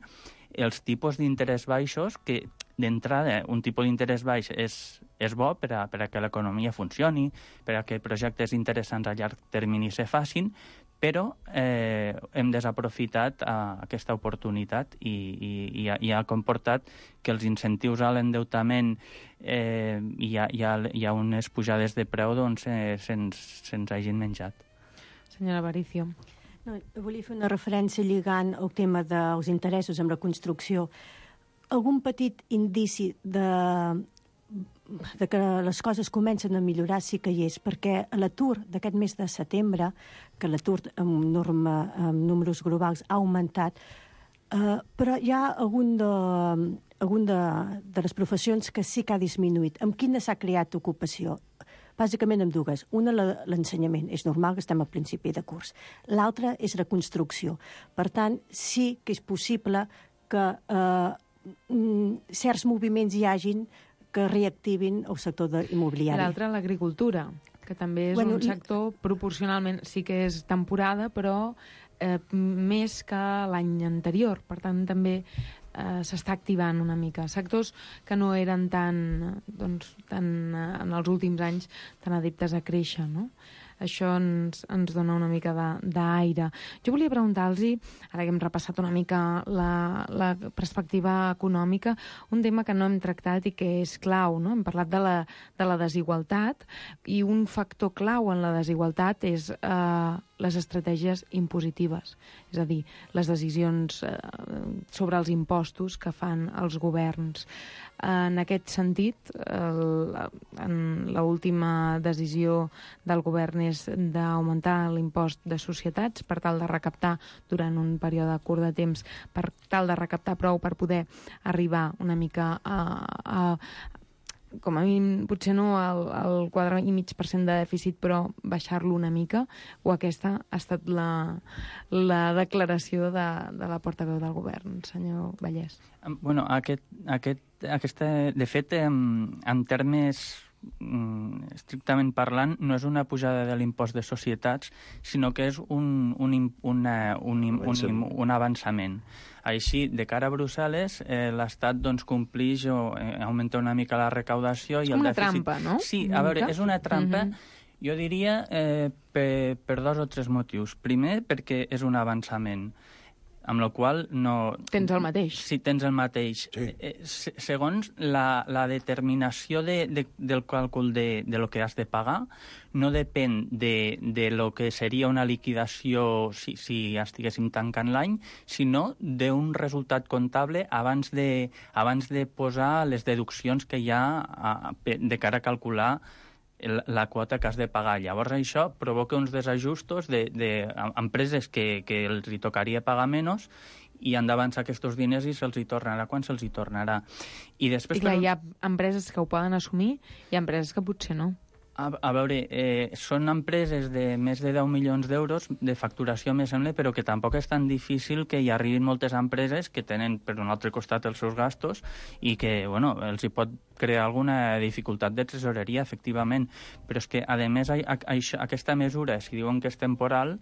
els tipus d'interès baixos, que d'entrada un tipus d'interès baix és bo per a que l'economia funcioni, per a que projectes interessants a llarg termini se facin, però hem desaprofitat aquesta oportunitat i ha comportat que els incentius a l'endeutament hi ha unes pujades de preu se'ns hagin menjat. Senyora Paricio. No, volia fer una referència lligant al tema dels interessos en la construcció. Algun petit indici de que les coses comencen a millorar sí que hi és, perquè l'atur d'aquest mes de setembre, que l'atur amb números globals ha augmentat, però hi ha algun de les professions que sí que ha disminuït. Amb quina s'ha creat ocupació? Bàsicament amb dues. Una, l'ensenyament. És normal que estem al principi de curs. L'altra és la construcció. Per tant, sí que és possible que certs moviments hi hagin que reactivin el sector immobiliari. L'altre, l'agricultura, que també és un sector proporcionalment, sí que és temporada, però més que l'any anterior. Per tant, també s'està activant una mica. Sectors que no eren tan en els últims anys tan adeptes a créixer, no? Això ens dona una mica d'aire. Jo volia preguntar-los, ara que hem repassat una mica la perspectiva econòmica, un tema que no hem tractat i que és clau, no? Hem parlat de la desigualtat, i un factor clau en la desigualtat és les estratègies impositives, és a dir, les decisions sobre els impostos que fan els governs. En aquest sentit, l'última decisió del govern és d'augmentar l'impost de societats per tal de recaptar durant un període curt de temps, per tal de recaptar prou per poder arribar una mica a com a mínim, potser no al 4,5% de dèficit, però baixar-lo una mica, o aquesta ha estat la declaració de la portaveu del govern, senyor Vallès? Bueno, de fet, en termes estrictament parlant, no és una pujada de l'impost de societats, sinó que és un avançament. Així, de cara a Brussel·les, l'Estat complix o augmenta una mica la recaudació i el dèficit... És com una trampa, no? Sí, a veure, és una trampa, jo diria, per 2 o 3 motius. Primer, perquè és un avançament, amb la qual no... Tens el mateix. Sí, tens el mateix. Sí. Segons, la determinació del càlcul de lo que has de pagar no depèn de lo que seria una liquidació si estiguéssim tancant l'any, sinó d'un resultat comptable abans de posar les deduccions que hi ha de cara a calcular la quota que has de pagar. Llavors això provoca uns desajustos d'empreses que els hi tocaria pagar menys i han d'avançar aquests diners i se'ls hi tornarà quan se'ls hi tornarà. I després... I clar, hi ha empreses que ho poden assumir i empreses que potser no. A veure, són empreses de més de 10 milions d'euros de facturació, me sembla, però que tampoc és tan difícil que hi arribin moltes empreses que tenen, per un altre costat, els seus gastos i que, bueno, els hi pot crear alguna dificultat de tresoreria, efectivament. Però és que, a més, aquesta mesura, si diuen que és temporal,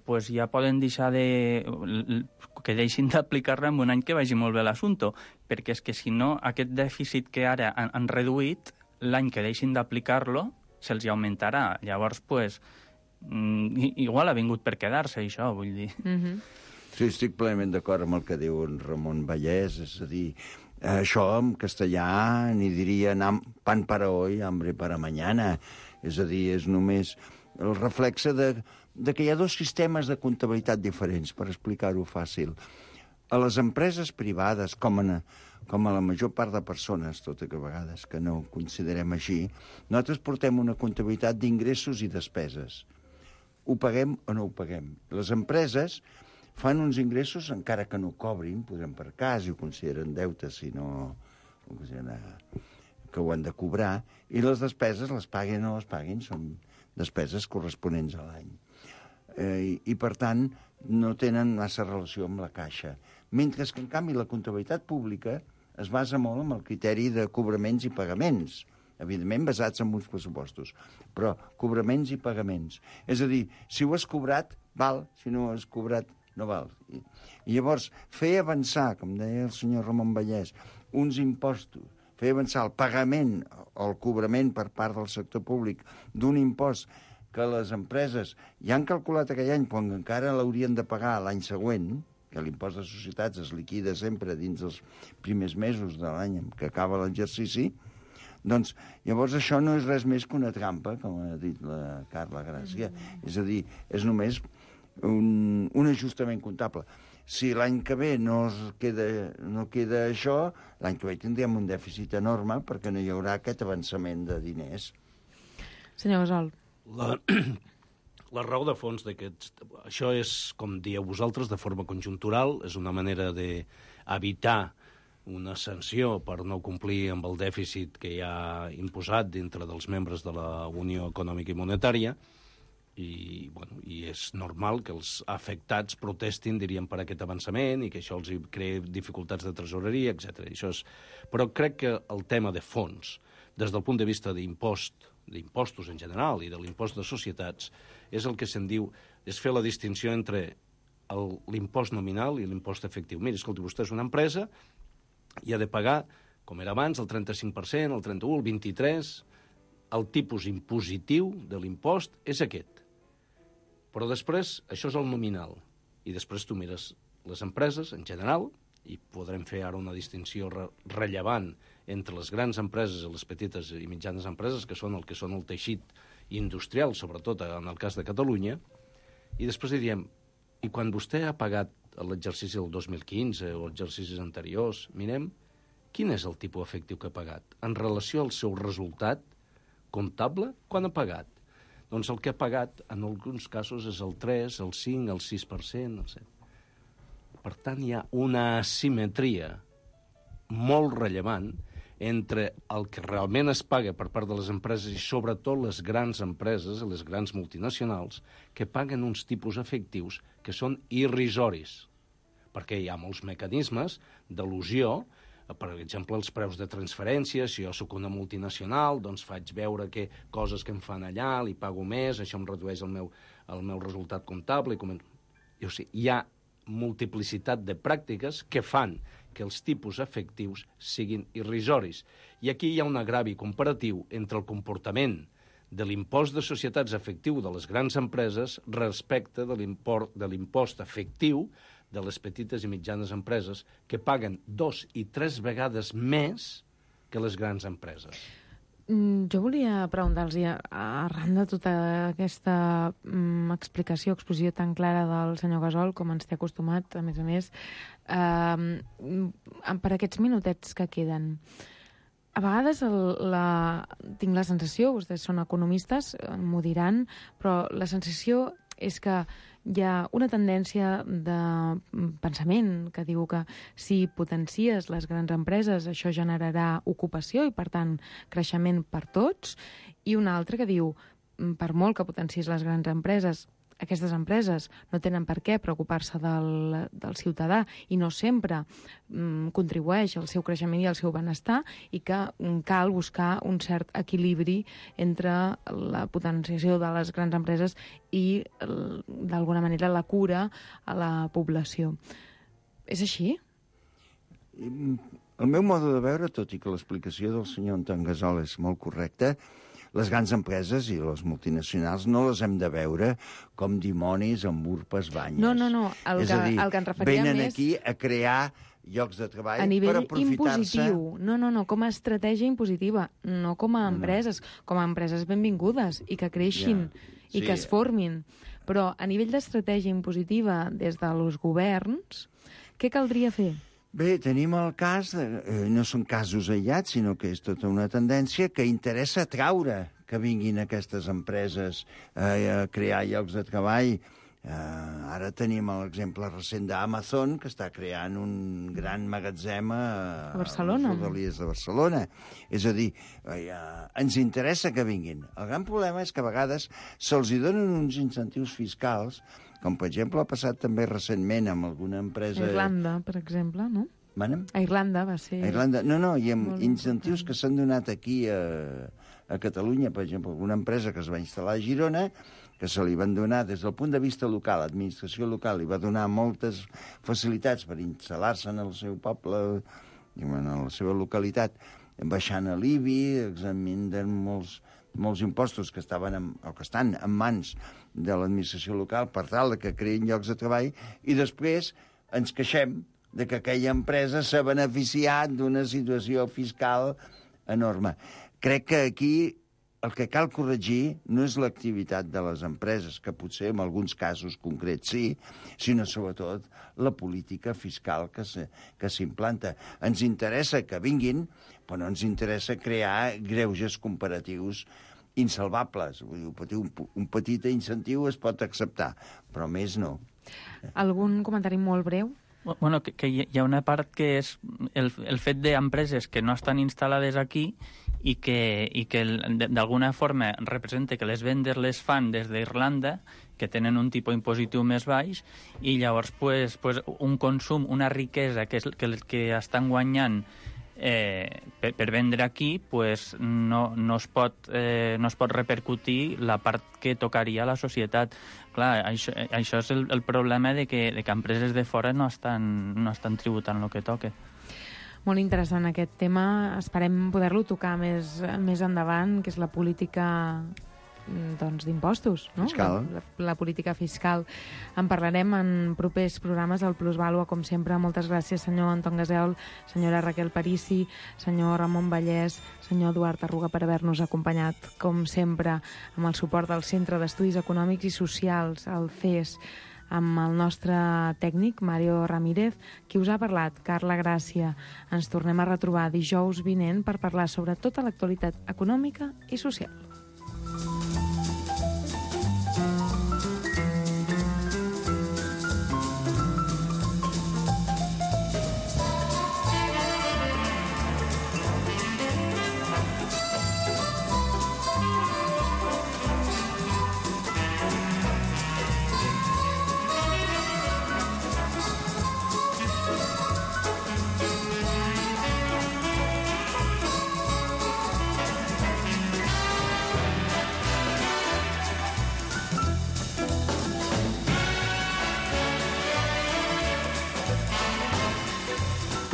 pues ja poden deixar que deixin d'aplicar-la en un any que vagi molt bé l'assumpte, perquè és que, si no, aquest dèficit que ara han reduït, l'any que deixin d'aplicar-lo, se'ls hi augmentarà. Llavors, pues, igual ha vingut per quedar-se, això, vull dir. Sí, estic plenament d'acord amb el que diu en Ramon Vallès, és a dir, això en castellà n'hi dirien pan para hoy, hambre para mañana. És a dir, és només el reflexe de que hi ha 2 sistemes de comptabilitat diferents, per explicar-ho fàcil. A les empreses privades, com a la major part de persones, tot i que a vegades que no ho considerem així, nosaltres portem una comptabilitat d'ingressos i despeses. Ho paguem o no ho paguem. Les empreses fan uns ingressos encara que no cobrin, podem per cas, i ho consideren deute si no ho consideren que ho han de cobrar, i les despeses, les paguin o no les paguin, són despeses corresponents a l'any. I per tant, no tenen massa relació amb la caixa. Mentre que, en canvi, la comptabilitat pública es basa molt en el criteri de cobraments i pagaments, evidentment basats en uns pressupostos, però cobraments i pagaments. És a dir, si ho has cobrat, val, si no ho has cobrat, no val. I llavors, fer avançar, com deia el senyor Ramon Vallès, uns impostos, fer avançar el pagament o el cobrament per part del sector públic d'un impost que les empreses ja han calculat aquell any, però encara l'haurien de pagar l'any següent, que l'impost de societats es liquida sempre dins dels primers mesos de l'any en què acaba l'exercici, doncs llavors això no és res més que una trampa, com ha dit la Carla Gràcia. És a dir, és només un ajustament comptable. Si l'any que ve no queda això, l'any que ve tindríem un dèficit enorme perquè no hi haurà aquest avançament de diners. Senyor Gasol. La raó de fons d'aquests... Això és, com dieu vosaltres, de forma conjuntural, és una manera d'evitar una sanció per no complir amb el dèficit que hi ha imposat dintre dels membres de la Unió Econòmica i Monetària, i és normal que els afectats protestin, diríem, per aquest avançament i que això els creï dificultats de tresoreria, etc. Però crec que el tema de fons, des del punt de vista d'impostos en general i de l'impost de societats, és el que se'n diu, és fer la distinció entre l'impost nominal i l'impost efectiu. Miri, escolti, vostè és una empresa i ha de pagar, com era abans, el 35%, el 31%, el 23%, el tipus impositiu de l'impost és aquest. Però després, això és el nominal. I després tu mires les empreses, en general, i podrem fer ara una distinció rellevant entre les grans empreses i les petites i mitjanes empreses, que són el teixit industrial, sobretot en el cas de Catalunya, i després diríem, i quan vostè ha pagat l'exercici del 2015 o exercicis anteriors, mirem quin és el tipus efectiu que ha pagat en relació al seu resultat comptable quan ha pagat. Doncs el que ha pagat en alguns casos és el 3, el 5, el 6%, el 7%. Per tant, hi ha una asimetria molt rellevant entre el que realment es paga per part de les empreses i sobretot les grans empreses, les grans multinacionals, que paguen uns tipus efectius que són irrisoris, perquè hi ha molts mecanismes d'elusió per exemple, els preus de transferència. Si jo sóc una multinacional, doncs faig veure que coses que em fan allà, li pago més, això em redueix el meu resultat comptable. Hi ha multiplicitat de pràctiques que fan que els tipus efectius siguin irrisoris. I aquí hi ha un agrevi comparatiu entre el comportament de l'impost de societats efectiu de les grans empreses respecte de l'impost efectiu de les petites i mitjanes empreses, que paguen 2 i 3 vegades més que les grans empreses. Jo volia preguntar-los, arran de tota aquesta exposició tan clara del senyor Gasol, com ens té acostumat, a més, per aquests minutets que queden, a vegades tinc la sensació, vostès són economistes, m'ho diran, però la sensació és que hi ha una tendència de pensament que diu que si potencies les grans empreses això generarà ocupació i, per tant, creixement per tots, i una altra que diu, per molt que potencies les grans empreses, aquestes empreses no tenen per què preocupar-se del ciutadà i no sempre contribueix al seu creixement i al seu benestar, i que cal buscar un cert equilibri entre la potenciació de les grans empreses i, d'alguna manera, la cura a la població. És així? El meu mode de veure, tot i que l'explicació del senyor Anton Gasol és molt correcta, les grans empreses i les multinacionals no les hem de veure com dimonis amb urpes banyes. No. El que ens referia venen més... aquí a crear llocs de treball a nivell per aprofitar-se... impositiu. No, com a estratègia impositiva, no com a empreses, com a empreses benvingudes i que creixin i que es formin. Però a nivell d'estratègia impositiva des dels governs, què caldria fer? Bé, tenim el cas, no són casos aïllats, sinó que és tota una tendència que interessa atraure que vinguin aquestes empreses a crear llocs de treball. Ara tenim l'exemple recent d'Amazon, que està creant un gran magatzem a Barcelona. les rodalies de Barcelona. És a dir, ens interessa que vinguin. El gran problema és que a vegades se'ls donen uns incentius fiscals, com per exemple ha passat també recentment amb alguna empresa... A Irlanda, per exemple, no? Manem? A Irlanda va ser... A Irlanda, i amb incentius que s'han donat aquí a Catalunya, per exemple, alguna empresa que es va instal·lar a Girona, que se li van donar des del punt de vista local, l'administració local li va donar moltes facilitats per instal·lar-se en el seu poble, en la seva localitat, baixant a l'IBI, examinant molts impostos que estaven que estan en mans de l'administració local per tal que creïn llocs de treball, i després ens queixem de que aquella empresa s'ha beneficiat d'una situació fiscal enorme. Crec que aquí el que cal corregir no és l'activitat de les empreses, que potser en alguns casos concrets sí, sinó sobretot la política fiscal que s'implanta. Ens interessa que vinguin, però no ens interessa crear greuges comparatius insalvables. Vull dir, un petit incentiu es pot acceptar, però més no. Algun comentari molt breu? Bueno, que hi ha una part que és el fet d'empreses que no estan instal·lades aquí i que d'alguna forma representa que les vendes les fan des d'Irlanda, que tenen un tipus impositiu més baix, i llavors pues, un consum, una riquesa que estan guanyant per vendre aquí, pues, no es pot repercutir la part que tocaria a la societat. Clar, això és el problema de que empreses de fora no estan tributant el que toca. Molt interessant aquest tema. Esperem poder-lo tocar més endavant, que és la política d'impostos, no? Fiscal. La política fiscal. En parlarem en propers programes al Plusvàlua, com sempre. Moltes gràcies, senyor Anton Gasol, senyora Raquel Parisi, senyor Ramon Vallès, senyor Eduard Arruga, per haver-nos acompanyat, com sempre, amb el suport del Centre d'Estudis Econòmics i Socials, el CES, amb el nostre tècnic, Mario Ramírez, qui us ha parlat, Carla Gràcia. Ens tornem a retrobar dijous vinent per parlar sobre tota l'actualitat econòmica i social.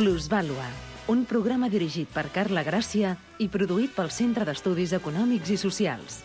Plusvàlua, un programa dirigit per Carla Gràcia i produït pel Centre d'Estudis Econòmics i Socials.